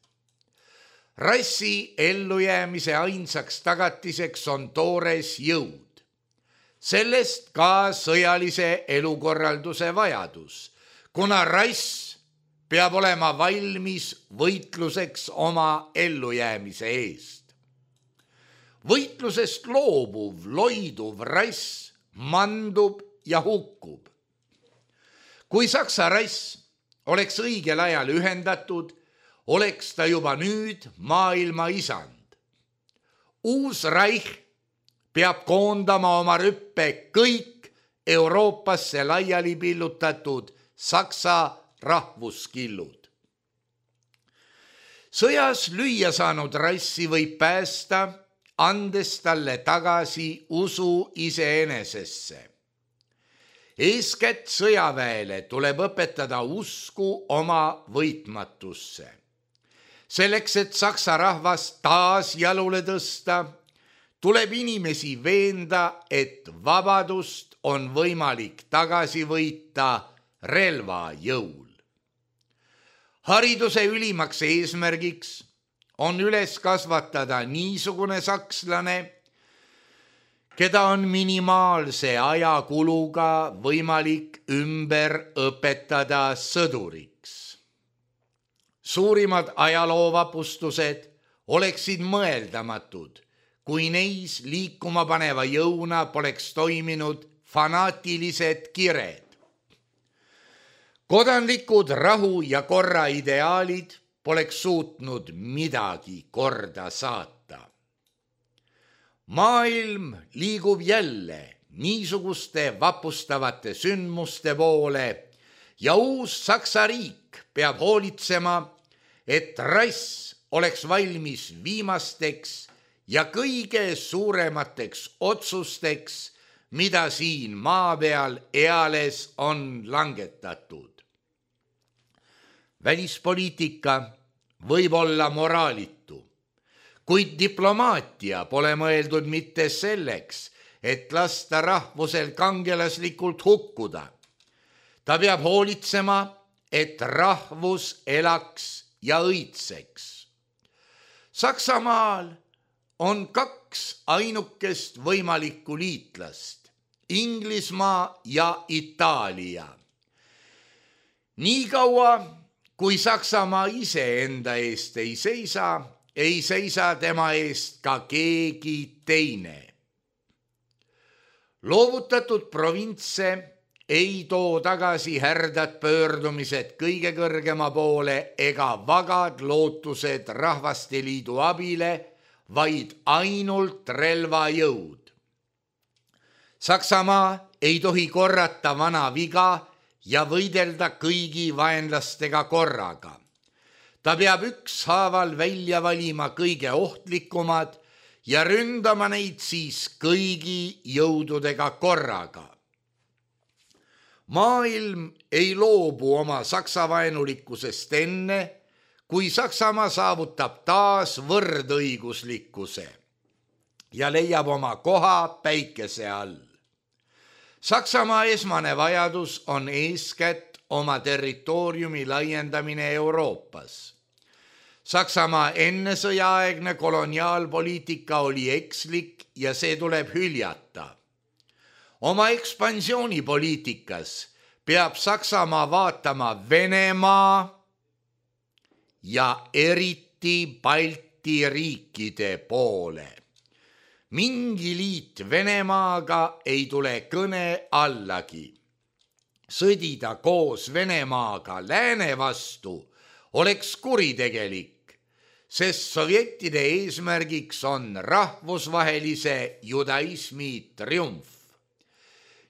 Rassi ellujäämise ainsaks tagatiseks on toores jõud. Sellest ka sõjalise elukorralduse vajadus, kuna rass peab olema valmis võitluseks oma ellujäämise eest. Võitlusest loobuv, loiduv rass mandub ja hukkub. Kui saksa rass oleks õigel ajal ühendatud, oleks ta juba nüüd maailma isand. Uus Reich peab koondama oma rüppe kõik Euroopasse laiali pillutatud saksa rahvuskillud. Sõjas lüüa saanud rassi võib päästa, andes talle tagasi usu iseenesesse. Eeskätt sõjaväele tuleb õpetada usku oma võitmatusse. Selleks, et saksa rahvas taas jalule tõsta, tuleb inimesi veenda, et vabadust on võimalik tagasi võita relva jõul. Hariduse ülimaks eesmärgiks on üles kasvatada niisugune sakslane, keda on minimaalse ajakuluga võimalik ümber õpetada sõduriks. Suurimad ajaloovapustused oleksid mõeldamatud, kui neis liikuma paneva jõuna poleks toiminud fanaatilised kired. Kodanlikud rahu ja korra ideaalid poleks suutnud midagi korda saata. Maailm liigub jälle niisuguste vapustavate sündmuste poole ja uus Saksa riik peab hoolitsema, et rass oleks valmis viimasteks ja kõige suuremateks otsusteks, mida siin maa peal eales on langetatud. Välispoliitika võib olla moraalitu, kuid diplomaatia pole mõeldud mitte selleks, et lasta rahvusel kangelaslikult hukkuda. Ta peab hoolitsema, et rahvus elaks ja õitseks. Saksamaal on 2 ainukest võimalikku liitlast, Inglismaa ja Itaalia. Nii kaua, kui Saksamaa ise enda eest ei seisa tema eest ka keegi teine. Loovutatud provintse ei too tagasi härdad pöördumised kõige kõrgema poole ega vagad lootused Rahvasteliidu abile, vaid ainult relvajõud. Saksamaa ei tohi korrata vana viga ja võidelda kõigi vaenlastega korraga. Ta peab ükshaaval välja valima kõige ohtlikumad ja ründama neid siis kõigi jõududega korraga. Maailm ei loobu oma saksavaenulikkusest enne, kui Saksamaa saavutab taas võrdõiguslikkuse ja leiab oma koha päikese all. Saksamaa esmane vajadus on eeskätt oma territooriumi laiendamine Euroopas. Saksamaa ennesõjaaegne koloniaalpoliitika oli ekslik ja see tuleb hyljata. Oma ekspansioonipoliitikas peab Saksamaa vaatama Venemaa ja eriti Balti riikide poole. Mingi liit Venemaaga ei tule kõne allagi. Sõdida koos Venemaaga lääne vastu oleks kuritegelik, sest sovjettide eesmärgiks on rahvusvahelise judaismi triumf.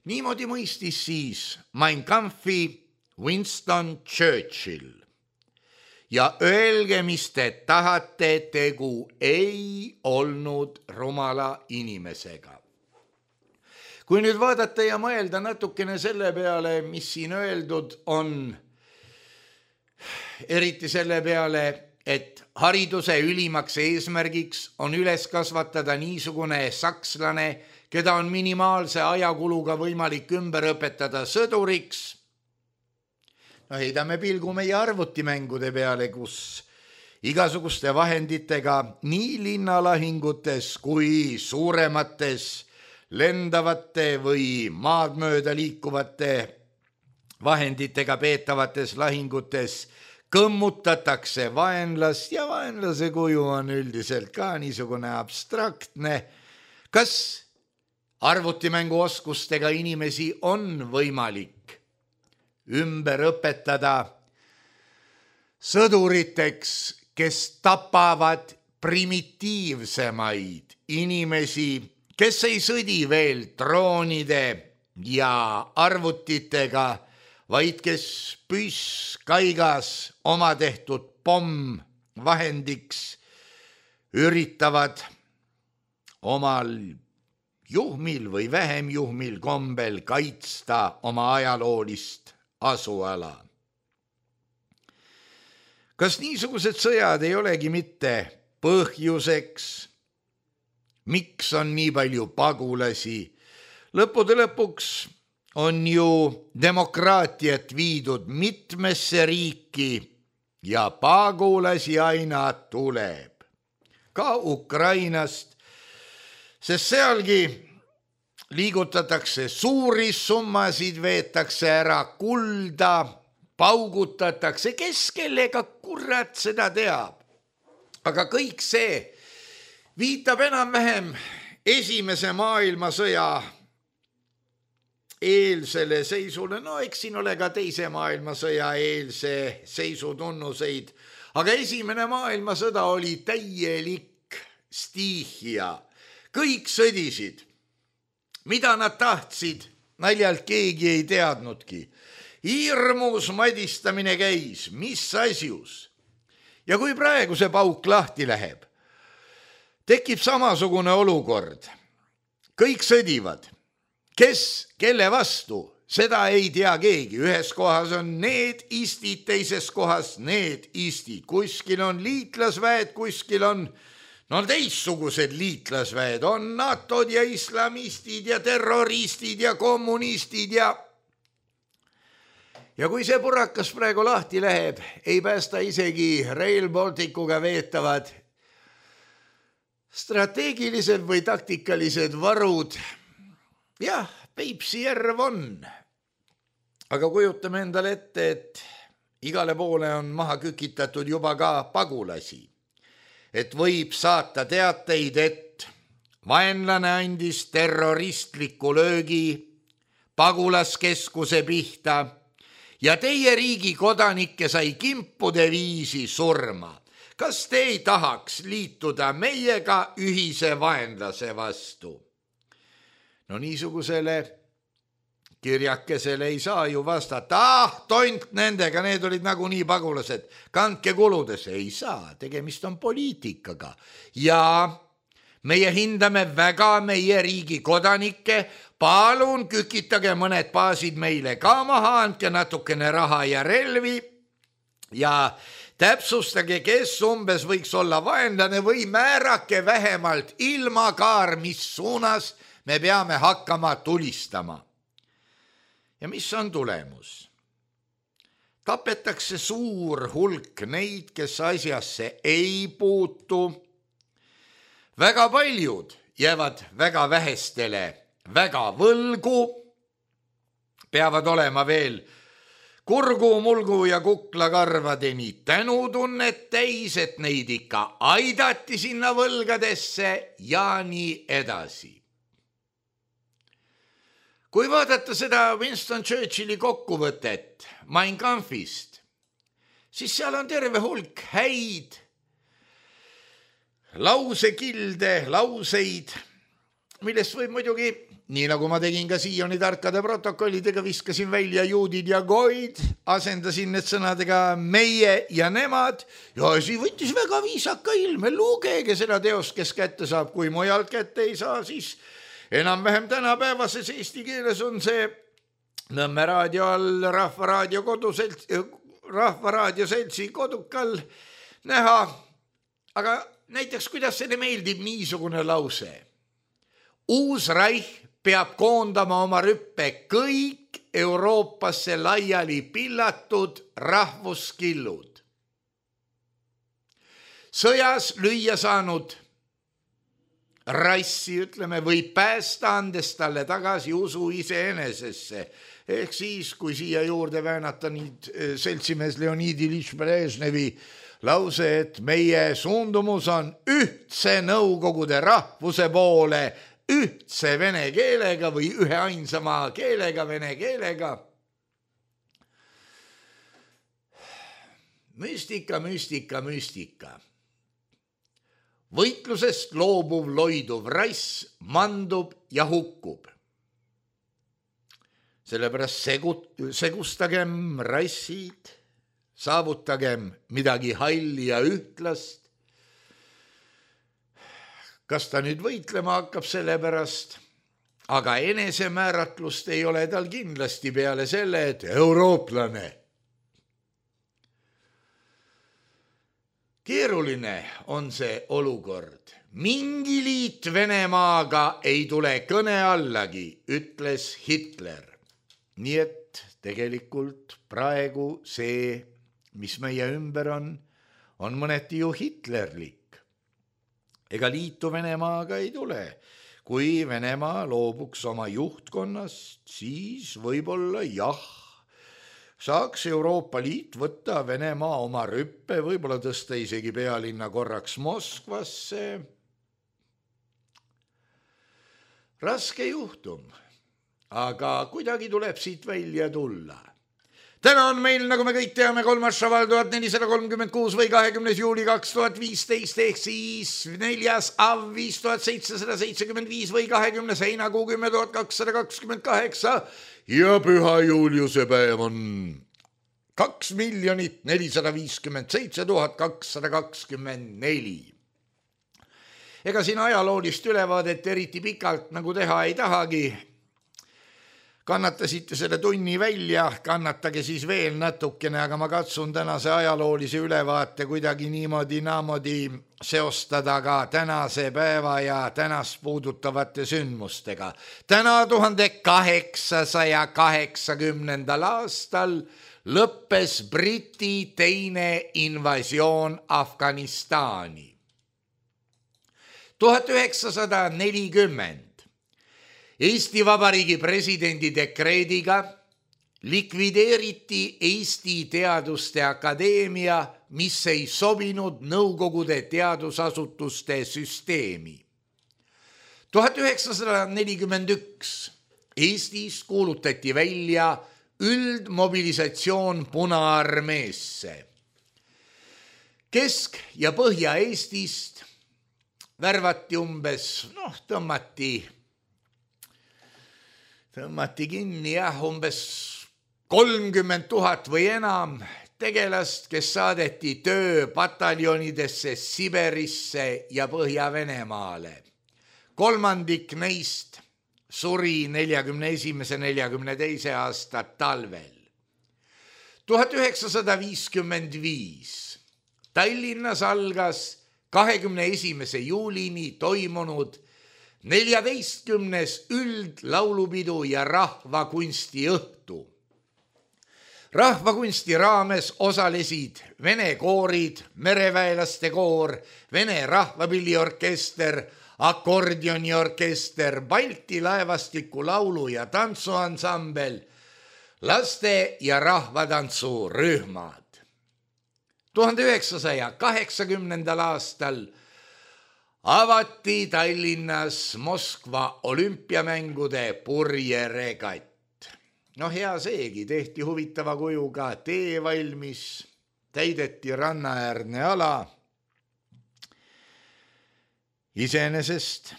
Niimoodi mõistis siis Mein Kampfi Winston Churchill. Ja öelge, mis te tahate, tegu ei olnud rumala inimesega. Kui nüüd vaadata ja mõelda natukene selle peale, mis siin öeldud on, eriti selle peale, et hariduse ülimaks eesmärgiks on üles kasvatada niisugune sakslane, keda on minimaalse ajakuluga võimalik ümber õpetada sõduriks. Heidame pilgu meie arvutimängude peale, kus igasuguste vahenditega nii linnalahingutes kui suuremates lendavate või maad mööda liikuvate vahenditega peetavates lahingutes kõmmutatakse vaenlast ja vaenlase kuju on üldiselt ka niisugune abstraktne. Kas arvutimänguoskustega inimesi on võimalik ümber õpetada sõduriteks, kes tapavad primitiivsemaid inimesi, kes ei sõdi veel droonide ja arvutitega, vaid kes püss kaigas oma tehtud pomm vahendiks üritavad omal juhmil või vähem juhmil kombel kaitsta oma ajaloolist asuala. Kas niisugused sõjad ei olegi mitte põhjuseks, miks on nii palju pagulasi? Lõppude lõpuks on ju demokraatiat viidud mitmesse riiki ja pagulasi aina tuleb. Ka Ukrainast, sest sealgi liigutatakse suuri summasid, veetakse ära kulda, paugutatakse, kes kellega kurat seda teab. Aga kõik see viitab enam-vähem esimese maailmasõja eelsele seisule. No eks siin ole ka teise maailmasõja eelse seisu tunnuseid, aga esimene maailmasõda oli täielik stiihia. Kõik sõdisid, mida nad tahtsid, naljalt keegi ei teadnudki. Hirmus madistamine käis, mis asjus. Ja kui praegu see pauk lahti läheb, tekib samasugune olukord. Kõik sõdivad, kes kelle vastu, seda ei tea keegi, ühes kohas on need istid, teises kohas need istid, kuskil on liitlasväed, kuskil on teistsugused liitlasväed, on NATO-d ja islamistid ja terroristid ja kommunistid ja kui see purakas praegu lahti läheb, ei päästa isegi Rail Balticuga veetavad strateegilised või taktikalised varud. Jah, Peipsi järv on. Aga kujutame endale ette, et igale poole on maha kükitatud juba ka pagulasi. Et võib saata teateid, et vaenlane andis terroristliku löögi pagulaskeskuse pihta ja teie riigi kodanikke sai kimpude viisi surma. Kas te ei tahaks liituda meiega ühise vaenlase vastu? No niisugusele kirjakesele ei saa ju vastata, tont nendega, need olid nagunii pagulased, kandke kuludes. Ei saa, tegemist on poliitikaga ja meie hindame väga meie riigi kodanikke, palun kükitage mõned baasid meile ka maha, andke natukene raha ja relvi ja täpsustage, kes umbes võiks olla vaenlane või määrake vähemalt ilmakaar, mis suunas me peame hakkama tulistama. Ja mis on tulemus? Tapetakse suur hulk neid, kes asjasse ei puutu. Väga paljud jäävad väga vähestele väga võlgu, peavad olema veel kurgu, mulgu ja kuklakarvadeni tänutunnet täis, et neid ikka aidati sinna võlgadesse ja nii edasi. Kui vaadata seda Winston Churchilli kokkuvõtet Mein Kampfist, siis seal on terve hulk häid lausekilde, lauseid, millest võib muidugi, nii nagu ma tegin ka Sioni tarkade protokollidega, viskasin välja juudid ja goid, asendasin need sõnadega meie ja nemad ja asi võttis väga viisaka ilme. Lugege seda teost, kes kätte saab, kui mujalt kätte ei saa, siis enam-vähem tänapäevases eesti keeles on see Nõmme raadio all Rahvaraadio seltsi kodukal näha. Aga näiteks, kuidas selle meeldib niisugune lause? Uus Reich peab koondama oma rüppe kõik Euroopasse laiali pillatud rahvuskillud. Sõjas lüüa saanud rassi, ütleme, võib päästa, andes talle tagasi usu iseenesesse. Ehk siis, kui siia juurde väänata nüüd seltsimees Leonid Iljitš Brežnevi lause, et meie suundumus on ühtse Nõukogude rahvuse poole, ühtse vene keelega või ühe ainsama keelega, vene keelega. Müstika, müstika, müstika. Võitlusest loobuv loiduv rass mandub ja hukkub. Sellepärast segustagem rassid, saavutagem midagi halli ja ühtlast. Kas ta nüüd võitlema hakkab selle pärast, aga enesemääratlust ei ole tal kindlasti peale selle, et eurooplane. Keeruline on see olukord. Mingi liit Venemaaga ei tule kõne allagi, ütles Hitler. Nii et tegelikult praegu see, mis meie ümber on mõneti ju hitlerlik. Ega liitu Venemaaga ei tule. Kui Venemaa loobuks oma juhtkonnast, siis võib-olla jah, saaks Euroopa Liit võtta Venemaa oma rüppe, võib-olla tõsta isegi pealinna korraks Moskvasse. Raske juhtum, aga kuidagi tuleb siit välja tulla. Täna on meil, nagu me kõik teame, 3. šaval 1436 või 20. juuli 2015 ehk siis 4. av 5775 või 20. heinakuu 10.228 ja Püha Juliuse päev on 2 457 224. Ega siin ajaloolist ülevaadet eriti pikalt nagu teha ei tahagi. Kannatasite selle tunni välja, kannatage siis veel natukene, aga ma katsun tänase ajaloolise ülevaate kuidagi niimoodi seostada ka tänase päeva ja tänast puudutavate sündmustega. Täna 1880. aastal lõppes Briti teine invasioon Afganistani. 1940 Eesti Vabariigi presidendi dekreediga likvideeriti Eesti Teaduste Akadeemia, mis ei sobinud Nõukogude teadusasutuste süsteemi. 1941 Eestis kuulutati välja üldmobilisatsioon Punaarmeesse. Kesk- ja Põhja-Eestist värvati umbes, tõmmati kinni umbes 30 000 või enam tegelast, kes saadeti tööpataljonidesse Siberisse ja Põhja-Venemaale. Kolmandik neist suri 41-42 aasta talvel. 1955 Tallinnas algas 21. juulini toimunud 14. üldlaulupidu ja rahvakunstiõhtu. Rahvakunsti raames osalesid vene koorid, mereväelaste koor, Vene rahvapilliorkester, akordioniorkester, Balti laevastiku laulu- ja tantsuansambel, laste- ja rahvatantsurühmad. 1980. aastal avati Tallinnas Moskva olümpiamängude purjeregatt. Hea seegi, tehti huvitava kujuga tee valmis, täideti rannaäärne ala. Iseenesest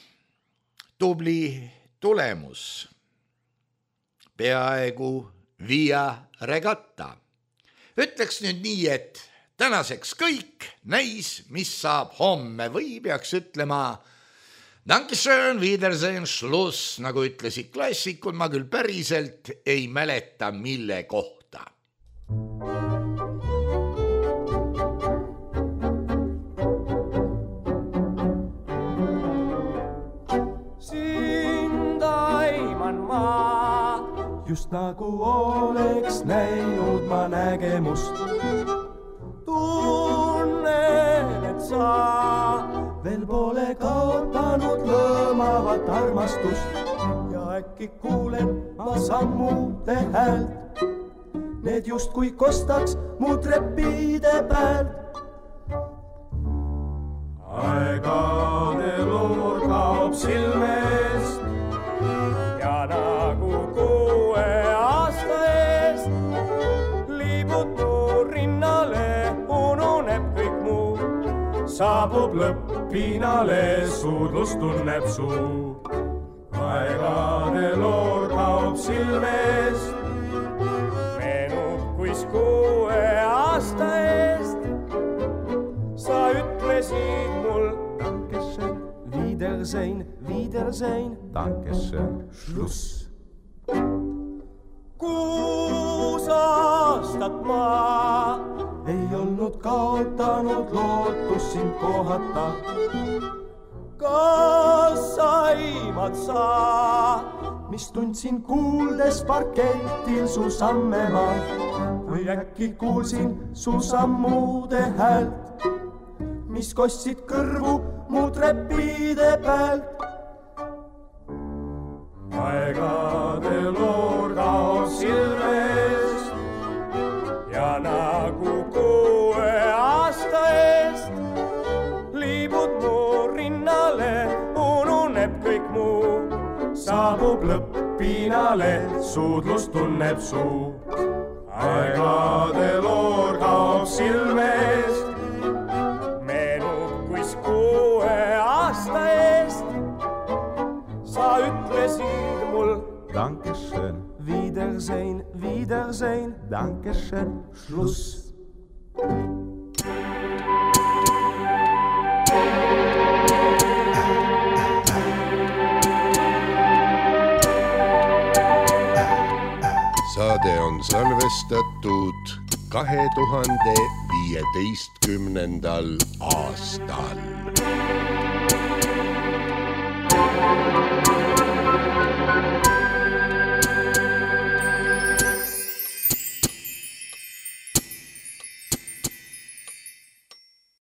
tubli tulemus. Peaaegu via regatta. Ütleks nüüd nii, et tänaseks kõik, näis, mis saab homme või peaks ütlema Dankeschön, Wiedersehen, Schluss, nagu ütlesid klassikud, ma küll päriselt ei mäleta, mille kohta. Sind aiman ma, just nagu oleks näinud ma nägemust. Tunnen, et sa veel pole kaotanud lõõmavat armastust ja äkki kuulen ma sammude häält. Need justkui kostaks mu treppide pealt. Aegade loor kaob silmest ja nagu 6 aasta eest liibud mu rinnale, ununeb kõik muu. Saabub lõpppiinale, suudlus tunneb suu. Aegade loor kaob silmest, meenub kuis 6 aasta eest. Sa ütlesid mul Dankeschön, Wiedersehen, Wiedersehen, Dankeschön, Schluss. 6 aastat ma ei olnud kaotanud lootus sind kohata. Kas aimad sa, mis tundsin kuuldes parketil su samme ma või äkki kuulsin su sammude häält, mis kostsid kõrvu mu treppide pealt. Aegade loor kaob silmest ja nagu 6 aasta eest liibud mu rinnale, ununeb kõik muu. Saabub lõpppiinale, suudlus tunneb suu. Aegade loor kaob silmest, meenub kuis 6 aasta eest. Sa ütlesid mul Dankeschön, Wiedersehen, Wiedersehen, Dankeschön, Schluss. on salvestatud 2015. aastal.